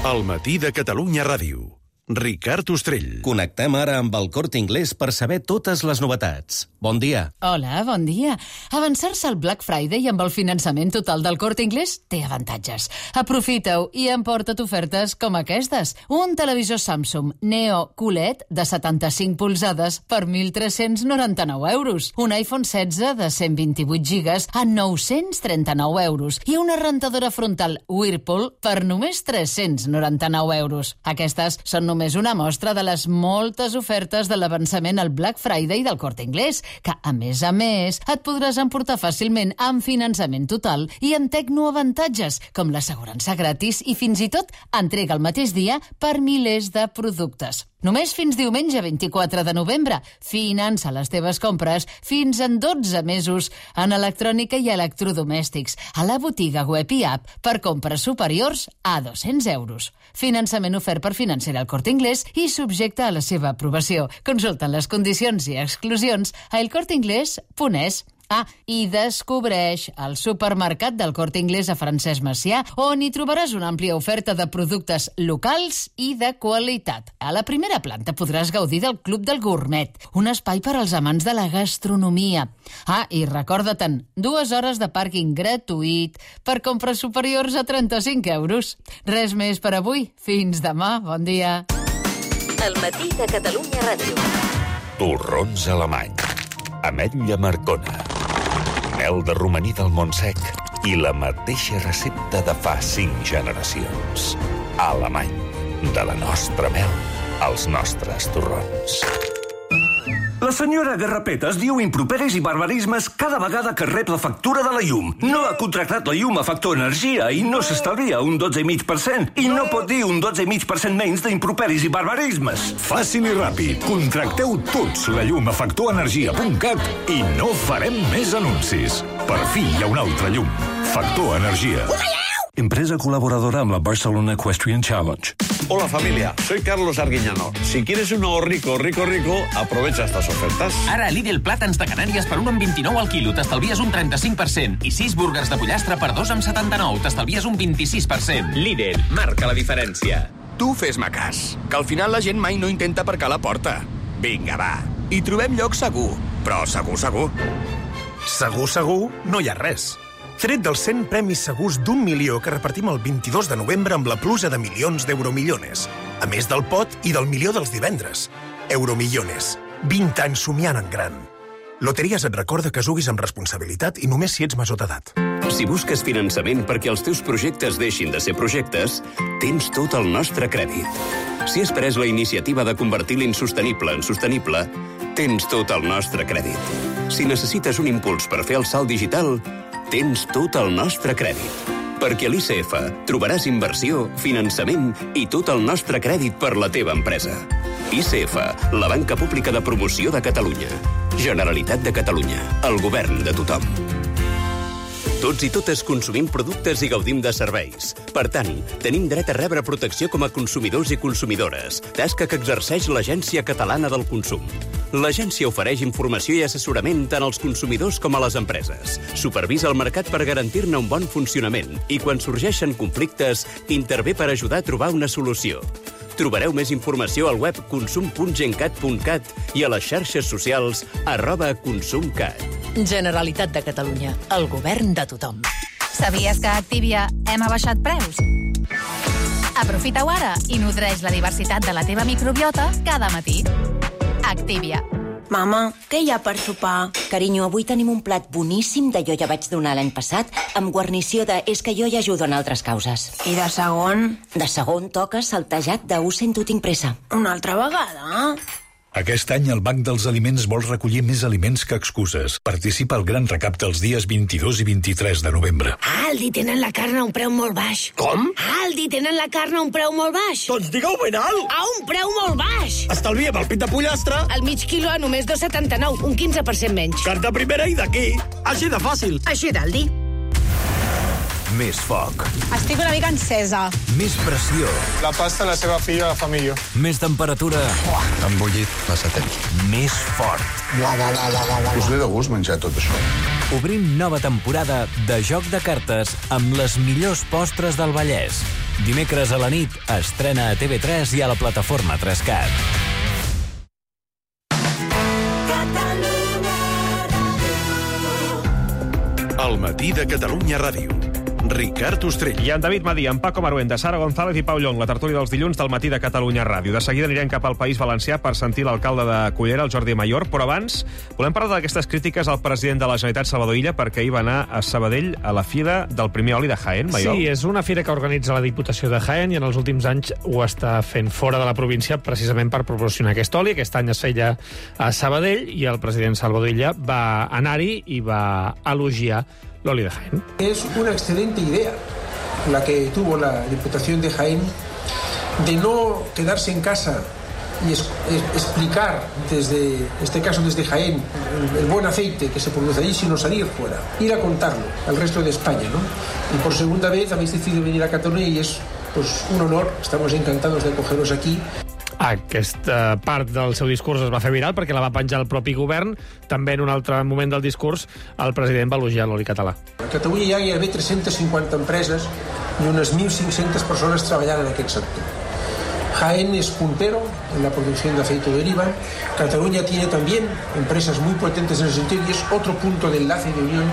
El Matí de Catalunya Ràdio. Ricard Ostrell. Connectem ara amb el Corte Inglés per saber totes les novetats. Bon dia. Hola, bon dia. Avançar-se al Black Friday amb el finançament total del Corte Inglés té avantatges. Aprofita-ho i emporta't ofertes com aquestes. Un televisor Samsung Neo QLED de 75 polzades per 1.399 euros. Un iPhone 16 de 128 gigas a 939 euros. I una rentadora frontal Whirlpool per només 399 euros. Aquestes són només una mostra de les moltes ofertes de l'avançament al Black Friday del Corte Inglés, que, a més, et podràs emportar fàcilment amb finançament total i amb tecnoavantatges, com l'assegurança gratis i fins i tot entrega el mateix dia per milers de productes. Només fins diumenge 24 de novembre. Finança les teves compres fins en 12 mesos en electrònica i electrodomèstics, a la botiga web i app per compres superiors a 200 euros. Finançament ofert per Financera al Corte Inglés i subjecte a la seva aprovació. Consulta les condicions i exclusions a elcorteinglés.es. I descobreix el supermercat del Corte Inglés a Francesc Macià, on hi trobaràs una àmplia oferta de productes locals i de qualitat. A la primera planta podràs gaudir del Club del Gourmet, un espai per als amants de la gastronomia. I recorda-te'n, 2 hores de pàrquing gratuït per compres superiors a 35 euros. Res més per avui. Fins demà. Bon dia. El Matí de Catalunya Ràdio. Torrons alemany. Ametlla Marcona. Mel de romaní del Montsec i la mateixa recepta de fa 5 generacions. Alemany. De la nostra mel als nostres torrons. La senyora Garrapetes diu improperis i barbarismes cada vegada que rep la factura de la llum. No ha contractat la llum a Factor Energia i no s'estalvia un 12,5%. I no pot dir un 12,5% menys d'improperis i barbarismes. Fàcil i ràpid. Contracteu tots la llum a factorenergia.cat i no farem més anuncis. Per fi hi ha una altra llum. Factor Energia. Empresa colaboradora amb la Barcelona Equestrian Challenge. Hola familia, soy Carlos Arguiñano. Si quieres un nuevo rico, aprovecha estas ofertas. Ara a Lidl plàtans de Canàries per 1,29 al quilo, t'estalvies un 35%. I 6 búrguers de pollastre per 2,79, t'estalvies un 26%. Lidl, marca la diferència. Tu fes-me cas, que al final la gent mai no intenta aparcar a la porta. Vinga, va, hi trobem lloc segur, però segur. Segur, no hi ha res. Tret dels 100 premis segurs d'1 milió que repartim el 22 de novembre amb la pluja de milions d'Euromillones. A més del pot i del milió dels divendres. Euromillones. 20 anys somiant en gran. Loteries et recorda que juguis amb responsabilitat i només si ets major d'edat. Si busques finançament perquè els teus projectes deixin de ser projectes, tens tot el nostre crèdit. Si has pres la iniciativa de convertir l'insostenible en sostenible, tens tot el nostre crèdit. Si necessites un impuls per fer el salt digital, tens tot el nostre crèdit. Perquè a l'ICF trobaràs inversió, finançament i tot el nostre crèdit per la teva empresa. ICF, la banca pública de promoció de Catalunya. Generalitat de Catalunya, el govern de tothom. Tots i totes consumim productes i gaudim de serveis. Per tant, tenim dret a rebre protecció com a consumidors i consumidores, tasca que exerceix l'Agència Catalana del Consum. L'agència ofereix informació i assessorament tant als consumidors com a les empreses. Supervisa el mercat per garantir-ne un bon funcionament i, quan sorgeixen conflictes, intervé per ajudar a trobar una solució. Trobareu més informació al web consum.gencat.cat i a les xarxes socials @consumcat. Generalitat de Catalunya, el govern de tothom. Sabies que a Activia hem abaixat preus? Aprofita-ho ara i nodreix la diversitat de la teva microbiota cada matí. Activia. Mama, què hi ha per sopar? Carinyo, avui tenim un plat boníssim de jo ja vaig donar l'any passat, amb guarnició de és que jo ja ajudo en altres causes. I de segon? De segon toca saltejat de ho sento, tinc pressa. Una altra vegada? Aquest any el Banc dels Aliments vol recollir més aliments que excuses. Participa al gran recapte els dies 22 i 23 de novembre. A Aldi tenen la carn a un preu molt baix. Com? A Aldi tenen la carn a un preu molt baix. Doncs digueu ben alt! A un preu molt baix! Estalviem el pit de pollastre. El mig quilo a només 2,79, un 15% menys. Carn de primera i d'aquí. Així de fàcil. Així d'Aldi. Més foc. Estic una mica encesa. Més pressió. La pasta la seva filla la fa millor. Més temperatura. Han bullit massa temps. Més fort. Us ve de gust menjar tot això. Obrim nova temporada de Joc de Cartes amb les millors postres del Vallès. Dimecres a la nit estrena a TV3 i a la plataforma 3Cat. El matí de Catalunya Ràdio. Ricard Ostrell. I en David Madí, en Paco Maruenda, Sara González i Pau Llong, la tertúlia dels dilluns del matí de Catalunya Ràdio. De seguida anirem cap al País Valencià per sentir l'alcalde de Cullera, el Jordi Mayor, però abans volem parlar d'aquestes crítiques al president de la Generalitat, Salvador Illa, perquè ahir va anar a Sabadell a la Fira del Primer Oli de Jaén, Maiol. Sí, és una fira que organitza la Diputació de Jaén i en els últims anys ho està fent fora de la província precisament per proporcionar aquest oli. Aquest any es feia a Sabadell i el president Salvador Illa va anar-hi i va elogiar l'oli de Jaén. Es una excelente idea la que tuvo la Diputación de Jaén de no quedarse en casa y explicar desde, en este caso desde Jaén, el buen aceite que se produce allí, sino salir fuera, ir a contarlo al resto de España, ¿no? Y por segunda vez habéis decidido venir a Cataluña y es pues un honor, estamos encantados de acogeros aquí. Aquesta part del seu discurs es va fer viral perquè la va penjar el propi govern. També en un altre moment del discurs el president va elogiar l'oli català. A Catalunya hi ha gairebé 350 empreses i unes 1.500 persones treballant en aquest sector. Jaén es puntero en la producción de aceite de oliva. Cataluña tiene también empresas muy potentes en ese sentido y es otro punto de enlace y de unión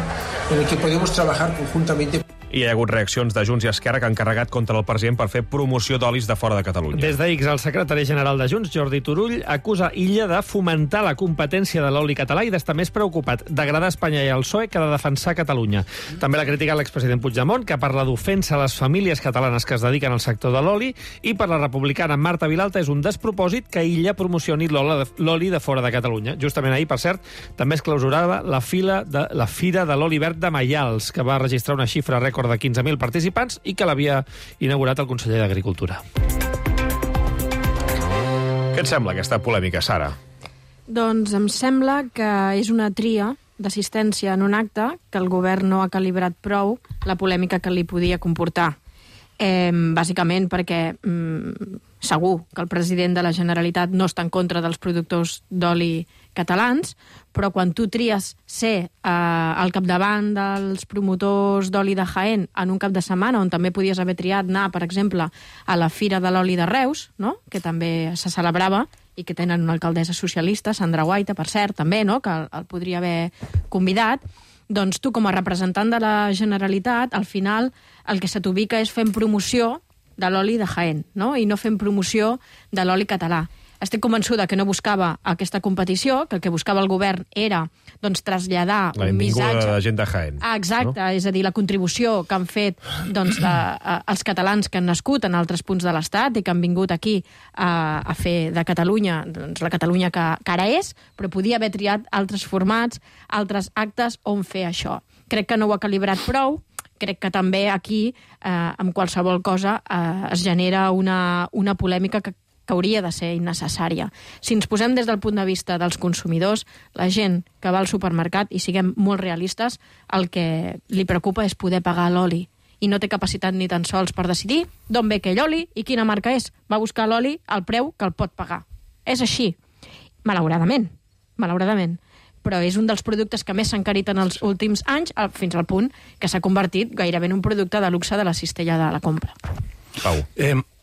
en el que podemos trabajar conjuntamente. I hi ha hagut reaccions de Junts i Esquerra que han carregat contra el president per fer promoció d'olis de fora de Catalunya. Des d'X, el secretari general de Junts, Jordi Turull, acusa Illa de fomentar la competència de l'oli català i d'estar més preocupat d'agradar Espanya i el PSOE que de defensar Catalunya. També l'ha criticat l'expresident Puigdemont, que parla d'ofensa a les famílies catalanes que es dediquen al sector de l'oli, i per la republicana Marta Vilalta és un despropòsit que Illa promocioni l'oli de fora de Catalunya. Justament ahir, per cert, també es clausurava la Fira de l'Oli Verd de Maials, que va registrar una xifra rècord de 15.000 participants i que l'havia inaugurat el conseller d'Agricultura. Què et sembla aquesta polèmica, Sara? Doncs em sembla que és una tria d'assistència en un acte que el govern no ha calibrat prou la polèmica que li podia comportar. Bàsicament perquè segur que el president de la Generalitat no està en contra dels productors d'oli catalans, però quan tu tries ser al capdavant dels promotors d'oli de Jaén en un cap de setmana, on també podies haver triat anar, per exemple, a la Fira de l'Oli de Reus, no? Que també se celebrava, i que tenen una alcaldessa socialista, Sandra Guaita, per cert, també, no? Que el podria haver convidat, doncs tu, com a representant de la Generalitat, al final el que se t'ubica és fent promoció de l'oli de Jaén, no? I no fent promoció de l'oli català. Estic convençuda que no buscava aquesta competició, que el que buscava el govern era doncs, traslladar un missatge... La benvinguda de la gent de Jaén. Exacte, no? És a dir, la contribució que han fet doncs, els catalans que han nascut en altres punts de l'Estat i que han vingut aquí a fer de Catalunya doncs, la Catalunya que ara és, però podia haver triat altres formats, altres actes on fer això. Crec que no ho ha calibrat prou. Crec que també aquí, amb qualsevol cosa, es genera una polèmica que hauria de ser innecessària. Si ens posem des del punt de vista dels consumidors, la gent que va al supermercat, i siguem molt realistes, el que li preocupa és poder pagar l'oli. I no té capacitat ni tan sols per decidir d'on ve aquell oli i quina marca és. Va buscar l'oli al preu que el pot pagar. És així. Malauradament. Però és un dels productes que més s'han encarit en els últims anys, fins al punt que s'ha convertit gairebé en un producte de luxe de la cistella de la compra. Pau.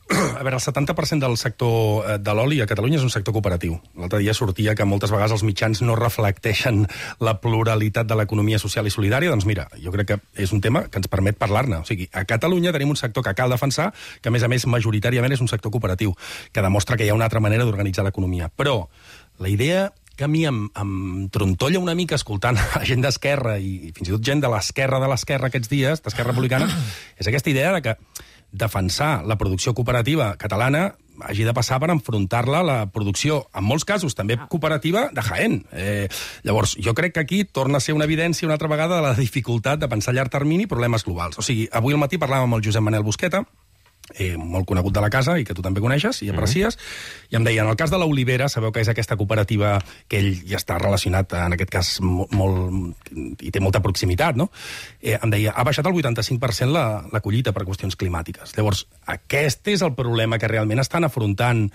A veure, el 70% del sector de l'oli a Catalunya és un sector cooperatiu. L'altre dia sortia que moltes vegades els mitjans no reflecteixen la pluralitat de l'economia social i solidària. Doncs mira, jo crec que és un tema que ens permet parlar-ne. O sigui, a Catalunya tenim un sector que cal defensar, que a més majoritàriament és un sector cooperatiu, que demostra que hi ha una altra manera d'organitzar l'economia. Però la idea que a mi em trontolla una mica escoltant gent d'Esquerra i fins i tot gent de l'esquerra aquests dies, d'Esquerra Republicana, és aquesta idea de que defensar la producció cooperativa catalana hagi de passar per enfrontar-la a la producció, en molts casos també cooperativa, de Jaén. Llavors, jo crec que aquí torna a ser una evidència una altra vegada de la dificultat de pensar a llarg termini problemes globals. O sigui, avui al matí parlàvem amb el Josep Manel Busqueta, molt conegut de la casa i que tu també coneixes i aprecies, i em deia, en el cas de l'Olivera, sabeu que és aquesta cooperativa que ell ja està relacionat, en aquest cas, molt i té molta proximitat, no? Em deia, ha baixat el 85% la collita per qüestions climàtiques. Llavors, aquest és el problema que realment estan afrontant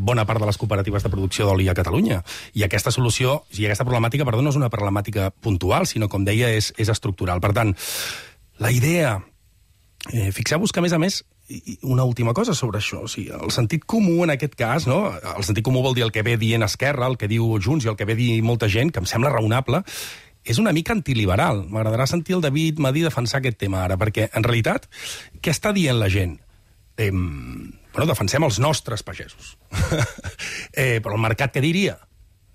bona part de les cooperatives de producció d'oli a Catalunya. I aquesta solució, aquesta problemàtica, perdó, no és una problemàtica puntual, sinó, com deia, és estructural. Per tant, la idea... Fixeu-vos que, a més, una última cosa sobre això. O sigui, el sentit comú, en aquest cas, no? El sentit comú vol dir el que ve dient Esquerra, el que diu Junts i el que ve dir molta gent, que em sembla raonable, és una mica antiliberal. M'agradarà sentir el David Madí defensar aquest tema ara, perquè, en realitat, què està dient la gent? Bueno, defensem els nostres pagesos. Però el mercat què diria?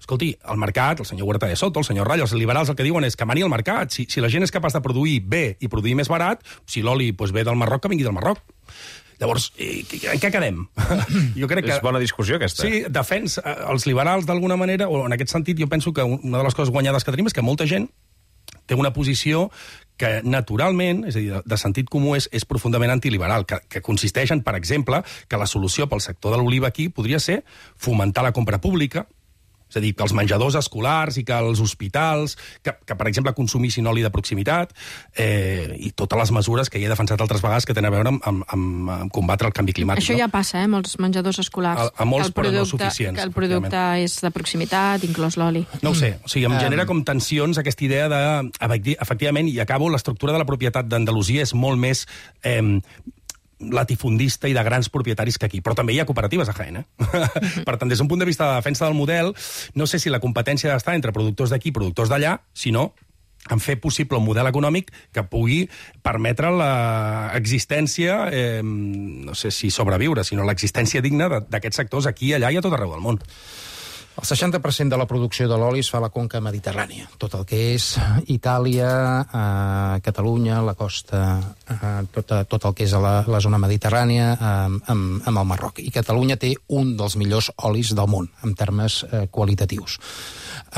Escolti, el mercat, el senyor Huerta de Soto, el senyor Rayo, els liberals el que diuen és que mani el mercat. Si la gent és capaç de produir bé i produir més barat, si l'oli ve del Marroc, que vingui del Marroc. Llavors, en què quedem? Jo crec que... És bona discussió, aquesta. Sí, els liberals, d'alguna manera, o en aquest sentit, jo penso que una de les coses guanyades que tenim és que molta gent té una posició que naturalment, és a dir, de sentit comú, és profundament antiliberal, que consisteix en, per exemple, que la solució pel sector de l'oliva aquí podria ser fomentar la compra pública, és a dir, que els menjadors escolars i que els hospitals, que per exemple, consumissin oli de proximitat, i totes les mesures que ja he defensat altres vegades que tenen a veure amb combatre el canvi climàtic. Això ja passa, molts menjadors escolars. A molts, però no suficients. Que el producte és de proximitat, inclòs l'oli. No ho sé, o sigui, em genera com tensions aquesta idea de, efectivament, i acabo, l'estructura de la propietat d'Andalusia és molt més... latifundista i de grans propietaris que aquí. Però també hi ha cooperatives a Jaén, Per tant, des d'un punt de vista de defensa del model, no sé si la competència ha d'estar entre productors d'aquí i productors d'allà, sinó en fer possible un model econòmic que pugui permetre l'existència, no sé si sobreviure, sinó l'existència digna d'aquests sectors aquí, allà i a tot arreu del món. El 60% de la producció de l'oli es fa a la conca mediterrània. Tot el que és Itàlia, Catalunya, la costa, tot el que és la zona mediterrània amb el Marroc. I Catalunya té un dels millors olis del món, en termes qualitatius.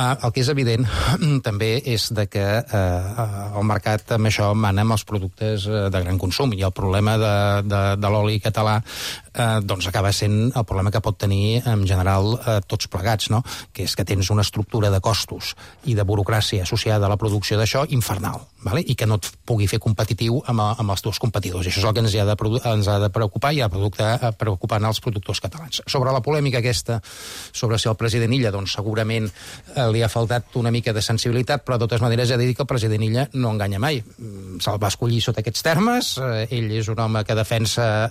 El que és evident també és que el mercat amb això mana amb els productes de gran consum, i el problema de l'oli català doncs acaba sent el problema que pot tenir en general tots plegats, no? Que és que tens una estructura de costos i de burocràcia associada a la producció d'això infernal, vale? I que no et pugui fer competitiu amb els teus competidors. I això és el que ens ha de preocupar i ha de preocupar els productors catalans. Sobre la polèmica aquesta, sobre si el president Illa, doncs segurament li ha faltat una mica de sensibilitat, però de totes maneres he de dir que el president Illa no enganya mai. Se'l va escollir sota aquests termes, ell és un home que defensa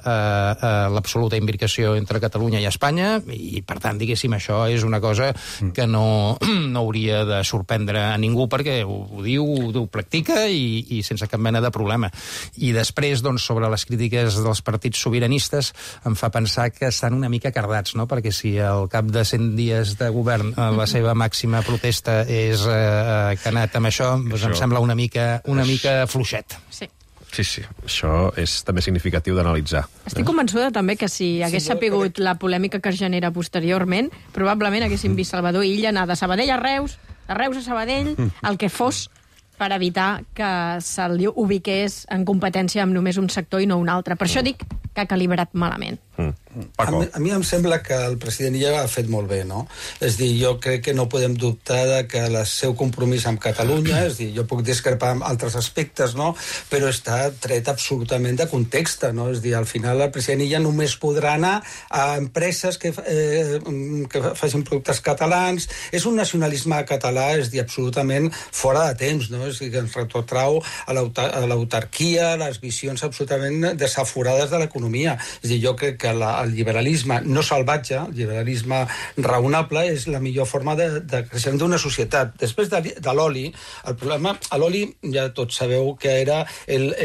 l'absoluta imbricació entre Catalunya i Espanya, i per tant, diguéssim, això és una cosa que no hauria de sorprendre a ningú, perquè ho diu, ho practica i sense cap mena de problema. I després, doncs, sobre les crítiques dels partits sobiranistes, em fa pensar que estan una mica cardats, no? Perquè si al cap de 100 dies de govern la seva màxima protesta és que ha anat amb això, doncs em sembla una mica fluixet. Sí. Sí, això és també significatiu d'analitzar. Estic convençuda també que si hagués sapigut la polèmica que es genera posteriorment, probablement haguéssim vist Salvador Illa anar de Sabadell a Reus, de Reus a Sabadell, el que fos, per evitar que se'l ubiqués en competència amb només un sector i no un altre. Per això dic que ha calibrat malament. A mi em sembla que el president Illa ha fet molt bé, no? És dir, jo crec que no podem dubtar de que el seu compromís amb Catalunya, és dir, jo puc discrepar amb altres aspectes, no? Però està tret absolutament de context, no? És dir, al final el president Illa només podrà anar a empreses que facin productes catalans. És un nacionalisme català, és dir, absolutament fora de temps, no? És dir, que ens retrotrau a l'autarquia, a les visions absolutament desaforades de l'economia l'economia. És a dir, jo crec que el liberalisme no salvatge, el liberalisme raonable, és la millor forma de creixement d'una societat. Després de l'oli, el problema, a l'oli ja tots sabeu que era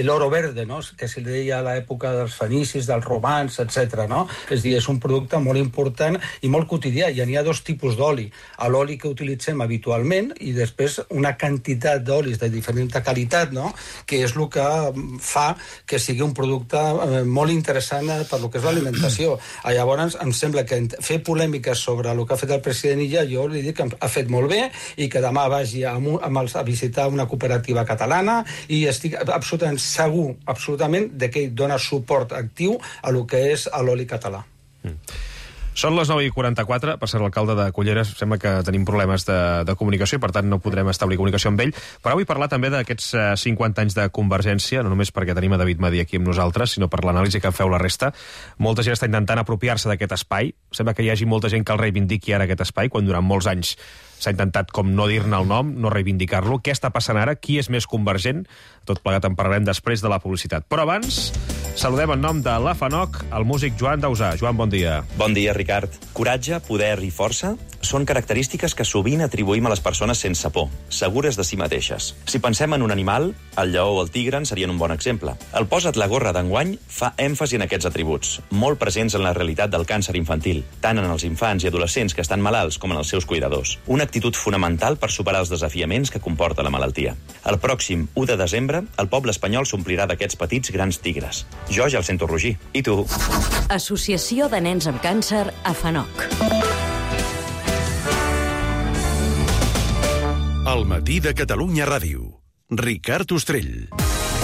l'oro verde, no? Que se li deia a l'època dels fenicis, dels romans, etc. No? És a dir, és un producte molt important i molt quotidià. I n'hi ha dos tipus d'oli. L'oli que utilitzem habitualment i després una quantitat d'olis de diferent qualitat, no? Que és el que fa que sigui un producte molt interessant per lo que és l'alimentació. Llavors, em sembla que fer polèmiques sobre el que ha fet el president Illa, jo li dic que ha fet molt bé i que demà vagi a visitar una cooperativa catalana i estic absolutament segur, absolutament, que ell dona suport actiu a lo que és l'oli català. Són les 9:44, per ser l'alcalde de Culleres, sembla que tenim problemes de comunicació i per tant no podrem establir comunicació amb ell, però vull parlar també d'aquests 50 anys de Convergència, no només perquè tenim a David Madí aquí amb nosaltres, sinó per l'anàlisi que en feu la resta. Molta gent està intentant apropiar-se d'aquest espai, sembla que hi hagi molta gent que el reivindiqui ara aquest espai, quan durant molts anys s'ha intentat com no dir-ne el nom, no reivindicar-lo. Què està passant ara? Qui és més convergent? Tot plegat en parlarem després de la publicitat. Però abans, saludem en nom de la FANOC el músic Joan Dausà. Joan, bon dia. Bon dia, Ricard. Coratge, poder i força són característiques que sovint atribuïm a les persones sense por, segures de si mateixes. Si pensem en un animal, el lleó o el tigre en serien un bon exemple. El Posa't la gorra d'enguany fa èmfasi en aquests atributs, molt presents en la realitat del càncer infantil, tant en els infants i adolescents que estan malalts com en els seus cuidadors. Una actitud fonamental per superar els desafiaments que comporta la malaltia. El pròxim 1 de desembre, el poble espanyol s'omplirà d'aquests petits grans tigres. Jo ja el sento rugir. I tu? Associació de Nens amb Càncer a FANOC. El matí de Catalunya Ràdio. Ricard Ostrell.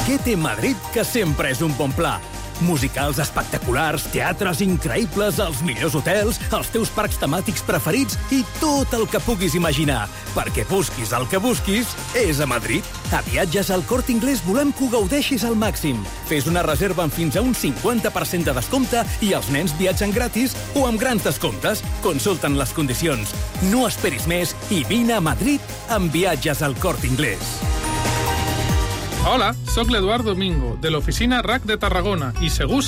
Què té Madrid que sempre és un bon pla? Musicals espectaculars, teatres increïbles, els millors hotels, els teus parcs temàtics preferits i tot el que puguis imaginar. Perquè busquis el que busquis, és a Madrid. A Viatges al Corte Inglés volem que ho gaudeixis al màxim. Fes una reserva amb fins a un 50% de descompte i els nens viatgen gratis o amb grans descomptes. Consulten les condicions. No esperis més i vine a Madrid amb Viatges al Corte Inglés. Hola, sóc l'Eduard Domingo, de l'oficina RAC de Tarragona, i segur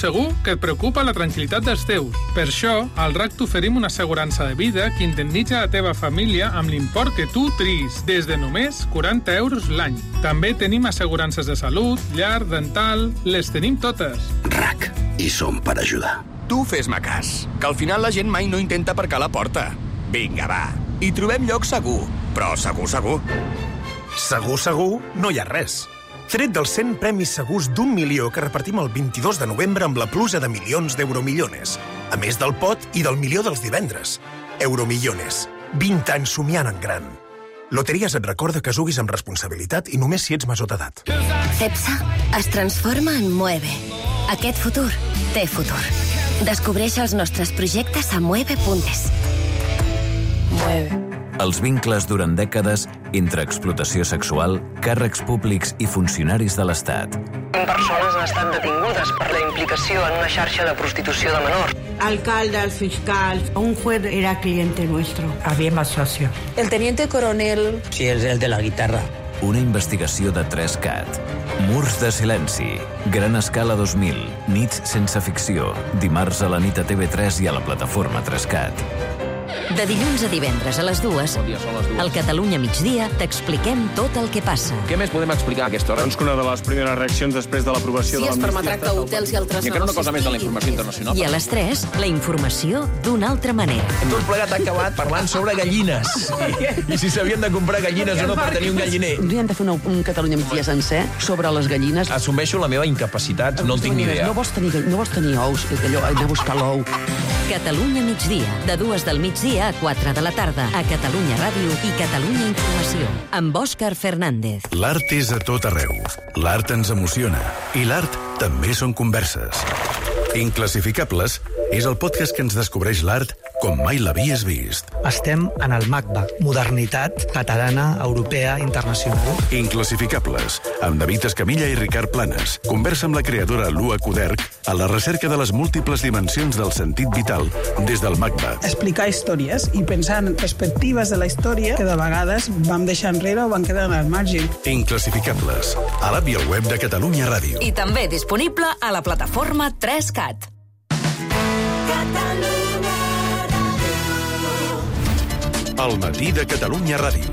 que et preocupa la tranquil·litat dels teus. Per això, al RAC t'oferim una assegurança de vida que indemnitza la teva família amb l'import que tu triïs, des de només 40 euros l'any. També tenim assegurances de salut, llar, dental... Les tenim totes. RAC, i som per ajudar. Tu fes-me cas, que al final la gent mai no intenta aparcar a la porta. Vinga, va, hi trobem lloc segur, però segur. Segur, no hi ha res. Tret dels 100 premis segurs d'1 milió que repartim el 22 de novembre amb la pluja de milions d'Euromillones. A més del pot i del milió dels divendres. Euromillones. 20 anys somiant en gran. Loteries et recorda que juguis amb responsabilitat i només si ets major d'edat. CEPSA es transforma en Mueve. Aquest futur té futur. Descobreix els nostres projectes a mueve.es. Mueve. Els vincles durant dècades entre explotació sexual, càrrecs públics i funcionaris de l'Estat. 20 persones han estat detingudes per la implicació en una xarxa de prostitució de menors. Alcalde, el fiscal, un juez era cliente nuestro. Había más socio. El teniente coronel. Sí, es el de la guitarra. Una investigació de 3CAT. Murs de silenci. Gran escala 2000. Nits sense ficció. Dimarts a la nit a TV3 i a la plataforma 3CAT. De dilluns a divendres a les 2, al Catalunya Migdia t'expliquem tot el que passa. Què més podem explicar a aquesta hora? Doncs que una de les primeres reaccions després de l'aprovació de l'amnistia... Si es permetrà que hotels i altres negocis... I una cosa més de la informació internacional. I a les 3, la informació d'una altra manera. Tot plegat ha acabat parlant sobre gallines. I si s'havien de comprar gallines o no per tenir un galliner. Un dia hem de fer un Catalunya Migdia sencer sobre les gallines. Assumeixo la meva incapacitat, no en tinc ni idea. No vols tenir ous, allò, anar a buscar l'ou. Catalunya Migdia, de 2 del migdia a 4 de la tarda, a Catalunya Ràdio i Catalunya Informació, amb Òscar Fernández. L'art és a tot arreu. L'art ens emociona. I l'art també són converses. Inclassificables és el podcast que ens descobreix l'art com mai l'havies vist. Estem en el MACBA, modernitat catalana, europea, internacional. Inclassificables, amb David Escamilla i Ricard Planes. Conversa amb la creadora Lua Kuderk a la recerca de les múltiples dimensions del sentit vital des del MACBA. Explicar històries i pensar en perspectives de la història que de vegades vam deixar enrere o van quedar al marge. Inclassificables, a l'app i al web de Catalunya Ràdio. I també disponible a la plataforma 3CAT. El matí de Catalunya Ràdio.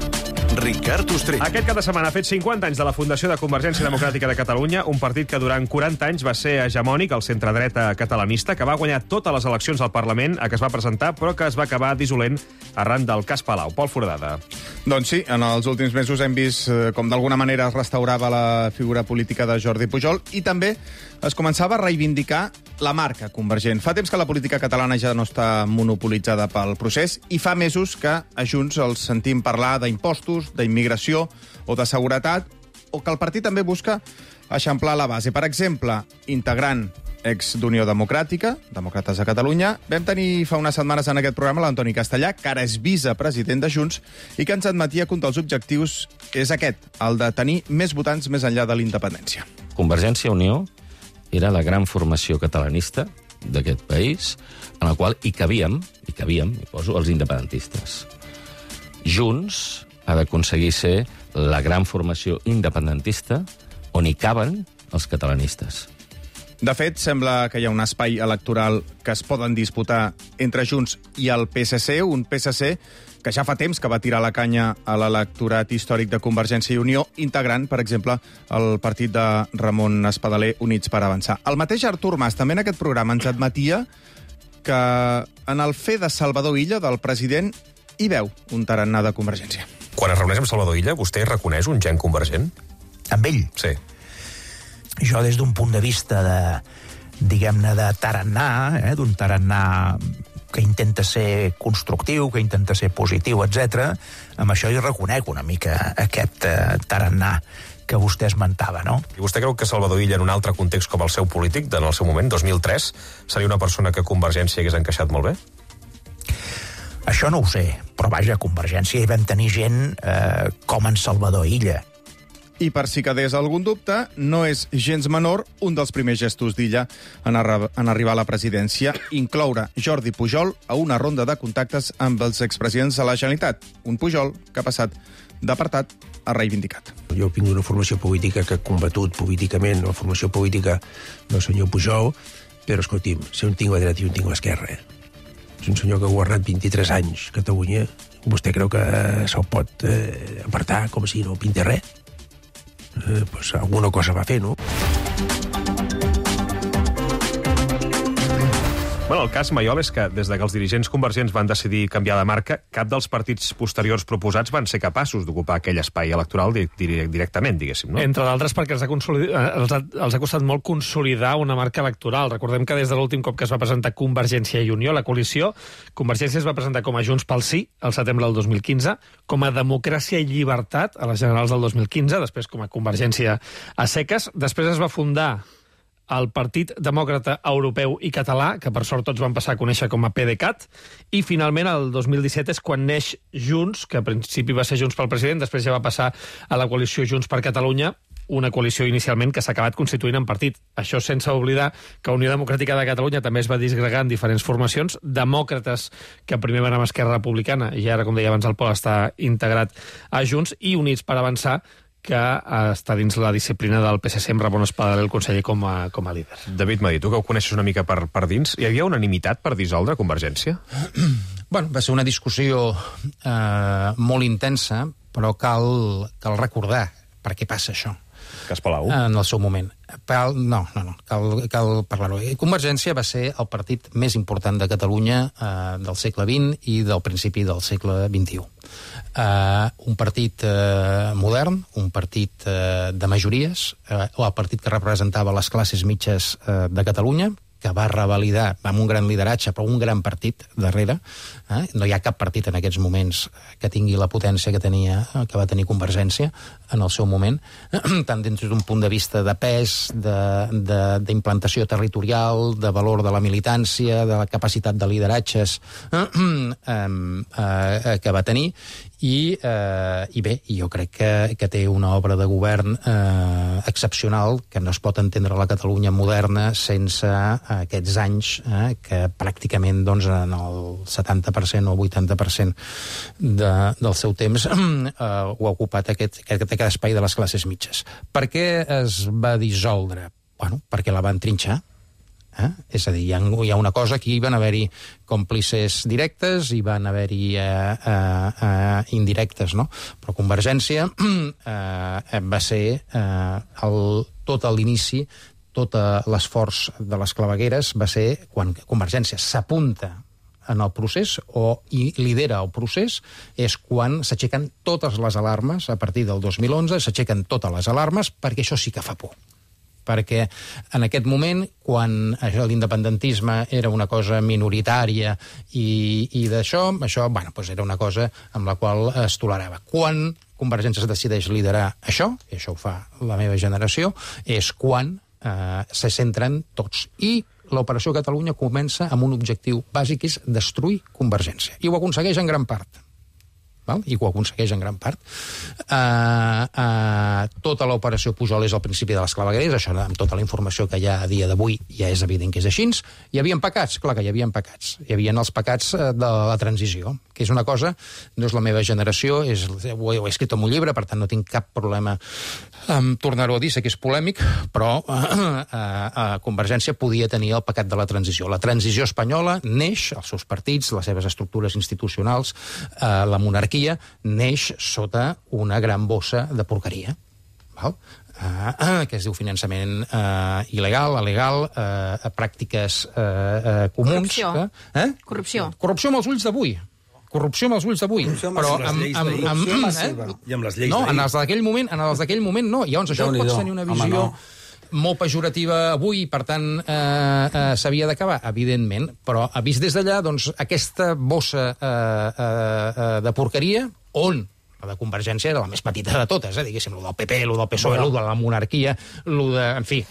Ricard Ostrell. Aquest cap de setmana ha fet 50 anys de la fundació de Convergència Democràtica de Catalunya, un partit que durant 40 anys va ser hegemònic al centre-dreta catalanista, que va guanyar totes les eleccions al Parlament a què es va presentar, però que es va acabar dissolent arran del cas Palau. Pol Foradada. Doncs sí, en els últims mesos hem vist com d'alguna manera es restaurava la figura política de Jordi Pujol i també es començava a reivindicar la marca Convergent. Fa temps que la política catalana ja no està monopolitzada pel procés i fa mesos que a Junts els sentim parlar d'impostos, d'immigració o de seguretat, o que el partit també busca eixamplar la base. Per exemple, integrant ex d'Unió Democràtica, Demòcrates de Catalunya, vam tenir fa unes setmanes en aquest programa l'Antoni Castellà, que ara és vicepresident de Junts, i que ens admetia que un dels objectius és aquest, el de tenir més votants més enllà de la independència. Convergència i Unió era la gran formació catalanista d'aquest país, en la qual hi cabíem, hi poso, els independentistes. Junts ha d'aconseguir ser la gran formació independentista on hi caben els catalanistes. De fet, sembla que hi ha un espai electoral que es poden disputar entre Junts i el PSC, un PSC que ja fa temps que va tirar la canya a l'electorat històric de Convergència i Unió, integrant, per exemple, el partit de Ramon Espadaler, Units per Avançar. El mateix Artur Mas també en aquest programa ens admetia que en el fer de Salvador Illa, del president, hi veu un tarannà de Convergència. Quan es reuneix amb Salvador Illa, vostè reconeix un gen convergent? Amb ell? Sí. Jo, des d'un punt de vista de, diguem-ne, de tarannà, d'un tarannà que intenta ser constructiu, que intenta ser positiu, etc. Amb això hi reconec una mica aquest tarannà que vostè esmentava, no? I vostè creu que Salvador Illa, en un altre context com el seu polític, en el seu moment, 2003, seria una persona que Convergència hagués encaixat molt bé? Això no ho sé, però vaja, a Convergència hi vam tenir gent com en Salvador Illa. I per si quedés algun dubte, no és gens menor un dels primers gestos d'Illa en arribar a la presidència, incloure Jordi Pujol a una ronda de contactes amb els expresidents de la Generalitat. Un Pujol que ha passat d'apartat a reivindicat. Jo vinc d'una formació política que ha combatut políticament la formació política del senyor Pujol, però, escolti'm, si un tinc la dreta i un tinc l'esquerra. És un senyor que ha governat 23 anys a Catalunya. Vostè creu que se'l pot apartar com si no pinta res? Pues alguna cosa va fer, no? Bueno, el cas Mayol és que, des que els dirigents convergents van decidir canviar de marca, cap dels partits posteriors proposats van ser capaços d'ocupar aquell espai electoral directament, diguéssim, no? Entre d'altres perquè els ha costat molt consolidar una marca electoral. Recordem que des de l'últim cop que es va presentar Convergència i Unió, la coalició, Convergència es va presentar com a Junts pel Sí, al setembre del 2015, com a Democràcia i Llibertat, a les generals del 2015, després com a Convergència a seques. Després es va fundar el Partit Demòcrata Europeu i Català, que per sort tots van passar a conèixer com a PDeCAT, i finalment el 2017 és quan neix Junts, que al principi va ser Junts pel President, després ja va passar a la coalició Junts per Catalunya, una coalició inicialment que s'ha acabat constituint en partit. Això sense oblidar que Unió Democràtica de Catalunya també es va disgregar en diferents formacions, demòcrates, que primer van amb Esquerra Republicana, i ara, com deia abans el Pol, està integrat a Junts, i Units per Avançar, que està dins la disciplina del PSC amb Ramon Espadaler, el conseller, com a líder. David Madí, tu que ho coneixes una mica per dins, hi havia unanimitat per dissoldre Convergència? Bueno, va ser una discussió molt intensa, però cal recordar per què passa això. Cas Palau? En el seu moment. No, cal parlar-ho. Convergència va ser el partit més important de Catalunya del segle XX i del principi del segle XXI. Un partit modern, un partit de majories, el partit que representava les classes mitges de Catalunya, que va revalidar amb un gran lideratge, però un gran partit darrere. No hi ha cap partit en aquests moments que tingui la potència que va tenir Convergència en el seu moment, tant des d'un punt de vista de pes, d'implantació territorial, de valor de la militància, de la capacitat de lideratges que va tenir, i bé, jo crec que té una obra de govern excepcional, que no es pot entendre la Catalunya moderna sense aquests anys que pràcticament doncs, en el 70% o 80% del seu temps ho ha ocupat aquest espai de les classes mitges. Per què es va dissoldre? Bueno, perquè la van trinxar. És a dir, hi ha una cosa, aquí van haver-hi còmplices directes i van haver-hi indirectes, no? Però Convergència va ser tot l'inici, tot l'esforç de les clavegueres va ser quan Convergència s'apunta en el procés i lidera el procés, és quan s'aixequen totes les alarmes, a partir del 2011 s'aixequen totes les alarmes, perquè això sí que fa por. Perquè en aquest moment, quan l'independentisme era una cosa minoritària i d'això, bueno, doncs era una cosa amb la qual es tolerava. Quan Convergència es decideix liderar això, i això ho fa la meva generació, és quan se centren tots. I l'Operació Catalunya comença amb un objectiu bàsic, que és destruir Convergència. I ho aconsegueix en gran part. I ho aconsegueix en gran part. Tota l'operació Pujol és al principi de les clavegueres, això amb tota la informació que hi ha a dia d'avui ja és evident que és així. Hi havia pecats? Clar que hi havia pecats. Hi havia els pecats de la transició, que és una cosa, no és la meva generació, ho he escrit en un llibre, per tant no tinc cap problema en tornar-ho a dir, sé que és polèmic, però Convergència podia tenir el pecat de la transició. La transició espanyola neix, els seus partits, les seves estructures institucionals, la monarquia, neix sota una gran bossa de porqueria, que es diu finançament il·legal, alegal, pràctiques comuns. Corrupció. Corrupció amb els ulls d'avui. Corrupció amb els ulls d'avui. Però i amb les lleis no, en els d'aquell moment no. Llavors això pot tenir una visió molt pejorativa avui, per tant s'havia d'acabar, evidentment, però vist des d'allà, doncs aquesta bossa de porqueria, on la de Convergència era la més petita de totes, diguéssim, el del PP, el del PSOE, el de la monarquia, el de... En fi,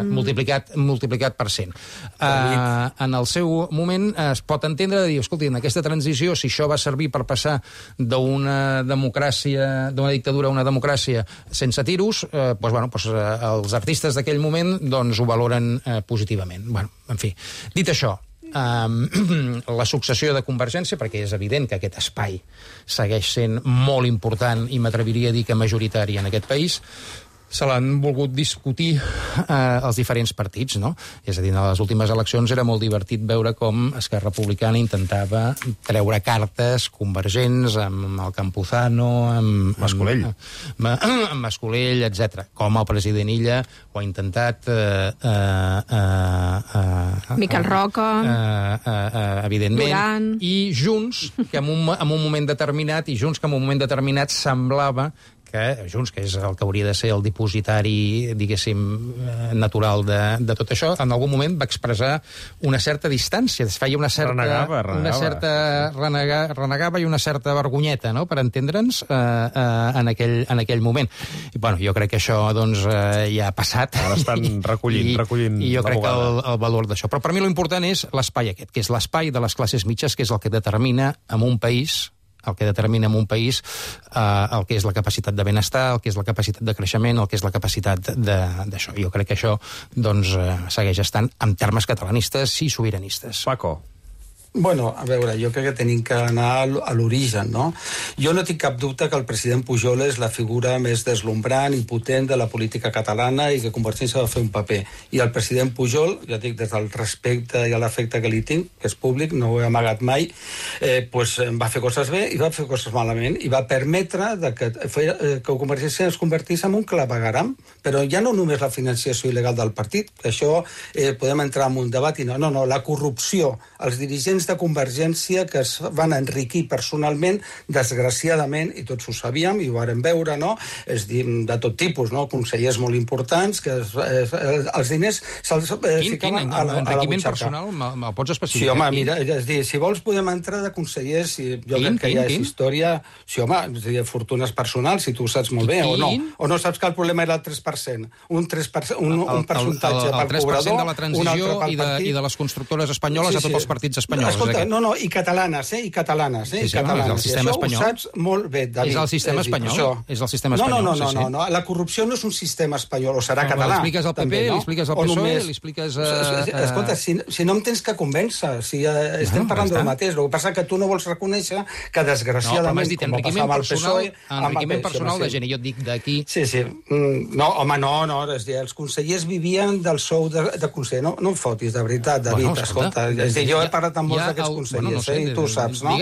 multiplicat per 100. En el seu moment es pot entendre de dir, escolti, en aquesta transició, si això va servir per passar d'una democràcia, d'una dictadura a una democràcia sense tiros, els artistes d'aquell moment ho valoren positivament. En fi, dit això, la successió de Convergència, perquè és evident que aquest espai segueix sent molt important i m'atreviria a dir que majoritari en aquest país, se l'han volgut discutir els diferents partits, no? És a dir, en les últimes eleccions era molt divertit veure com Esquerra Republicana intentava treure cartes convergents amb el Campuzano, amb Mascolell, etc. Com el president Illa ho ha intentat... Miquel Roca... evidentment. Duran. I Junts, que en un moment determinat semblava que Junts, que és el que hauria de ser el dipositari, diguéssim, natural de tot això, en algun moment va expressar una certa distància, es feia una certa... Renegava i una certa vergonyeta, no?, per entendre'ns en aquell moment. I, bueno, jo crec que això, doncs, ja ha passat. Ara estan recollint I jo crec que el valor d'això. Però per mi l'important és l'espai aquest, que és l'espai de les classes mitges, que és el que determina en un país el que és la capacitat de benestar, el que és la capacitat de creixement, el que és la capacitat d'això. Jo crec que això segueix estant en termes catalanistes i sobiranistes. Paco. Bueno, a veure, jo crec que tenim que anar a l'origen, no? Jo no tinc cap dubte que el president Pujol és la figura més deslumbrant i potent de la política catalana i que Convergència va fer un paper. I el president Pujol, ja dic, des del respecte i l'afecte que li tinc, que és públic, no ho he amagat mai, va fer coses bé i va fer coses malament i va permetre que Convergència es convertís en un clavegueram, però ja no només la financiació il·legal del partit, que això podem entrar en un debat i no, la corrupció, els dirigents de Convergència que es van enriquir personalment, desgraciadament, i tots ho sabíem, i ho vàrem veure, no? És dir, de tot tipus, no? Consellers molt importants, que els diners se'ls ficaven a la enriquiment butxaca. personal, me'l pots especificar? Sí, home, mira, és dir, si vols podem entrar de consellers, jo crec que ja és història... Sí, home, és dir, fortunes personals, si tu ho saps molt bé, o no saps que el problema era el 3%. Un percentatge pel cobrador, el 3% de la transició i de les constructores espanyoles a tots els partits espanyols. Escolta, i catalanes, i catalanes. Sí, és el sistema espanyol. Això ho saps molt bé, David. És el sistema espanyol? És el sistema espanyol, no. La corrupció no és un sistema espanyol, o serà català. Li expliques al PP, li expliques al PSOE, li expliques... Escolta, si no em tens que convèncer, si estem parlant del mateix, el que passa que tu no vols reconèixer que, desgraciadament, com va passar amb el PSOE... Enriquiment personal de gent, i jo et dic d'aquí... Sí. No, home, no, és dir, els consellers vivien del sou de conseller. No em fotis, de veritat, David, escolta. És dir, jo he parlat amb molts d'aquests consellers, i tu ho saps, no?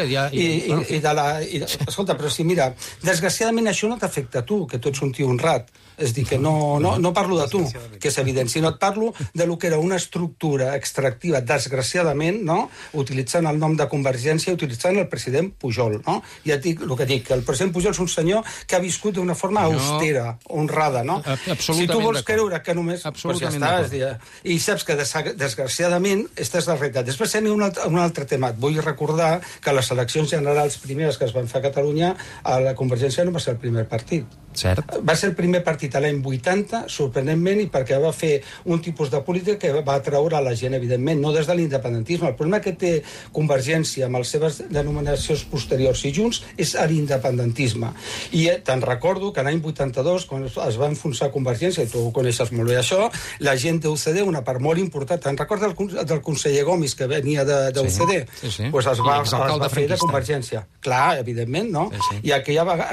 Escolta, però sí, mira, desgraciadament això no t'afecta a tu, que tu ets un tio honrat. És dir, que no parlo de tu, que és evident, sinó et parlo de lo que era una estructura extractiva, desgraciadament, no? Utilitzant el nom de Convergència, utilitzant el president Pujol, no? Ja et dic el que dic, que el president Pujol és un senyor que ha viscut d'una forma austera, honrada, no? Si tu vols creure que només... Doncs ja està, i saps que desgraciadament aquesta és la realitat. Després hi ha un altre tema. Et vull recordar que les eleccions generals primeres que es van fer a Catalunya, a la Convergència no va ser el primer partit. Cert. Va ser el primer partit a l'any 80, sorprenentment, i perquè va fer un tipus de política que va atraure a la gent, evidentment, no des de l'independentisme. El problema que té Convergència amb les seves denominacions posteriors i Junts és l'independentisme. I te'n recordo que l'any 82, quan es va enfonsar Convergència, i tu ho coneixes molt bé això, la gent d'UCD, una part molt important, te'n recordes del conseller Gomis, que venia d'UCD? Sí. Pues es va fer de Convergència. Clar, evidentment, no? I aquella vegada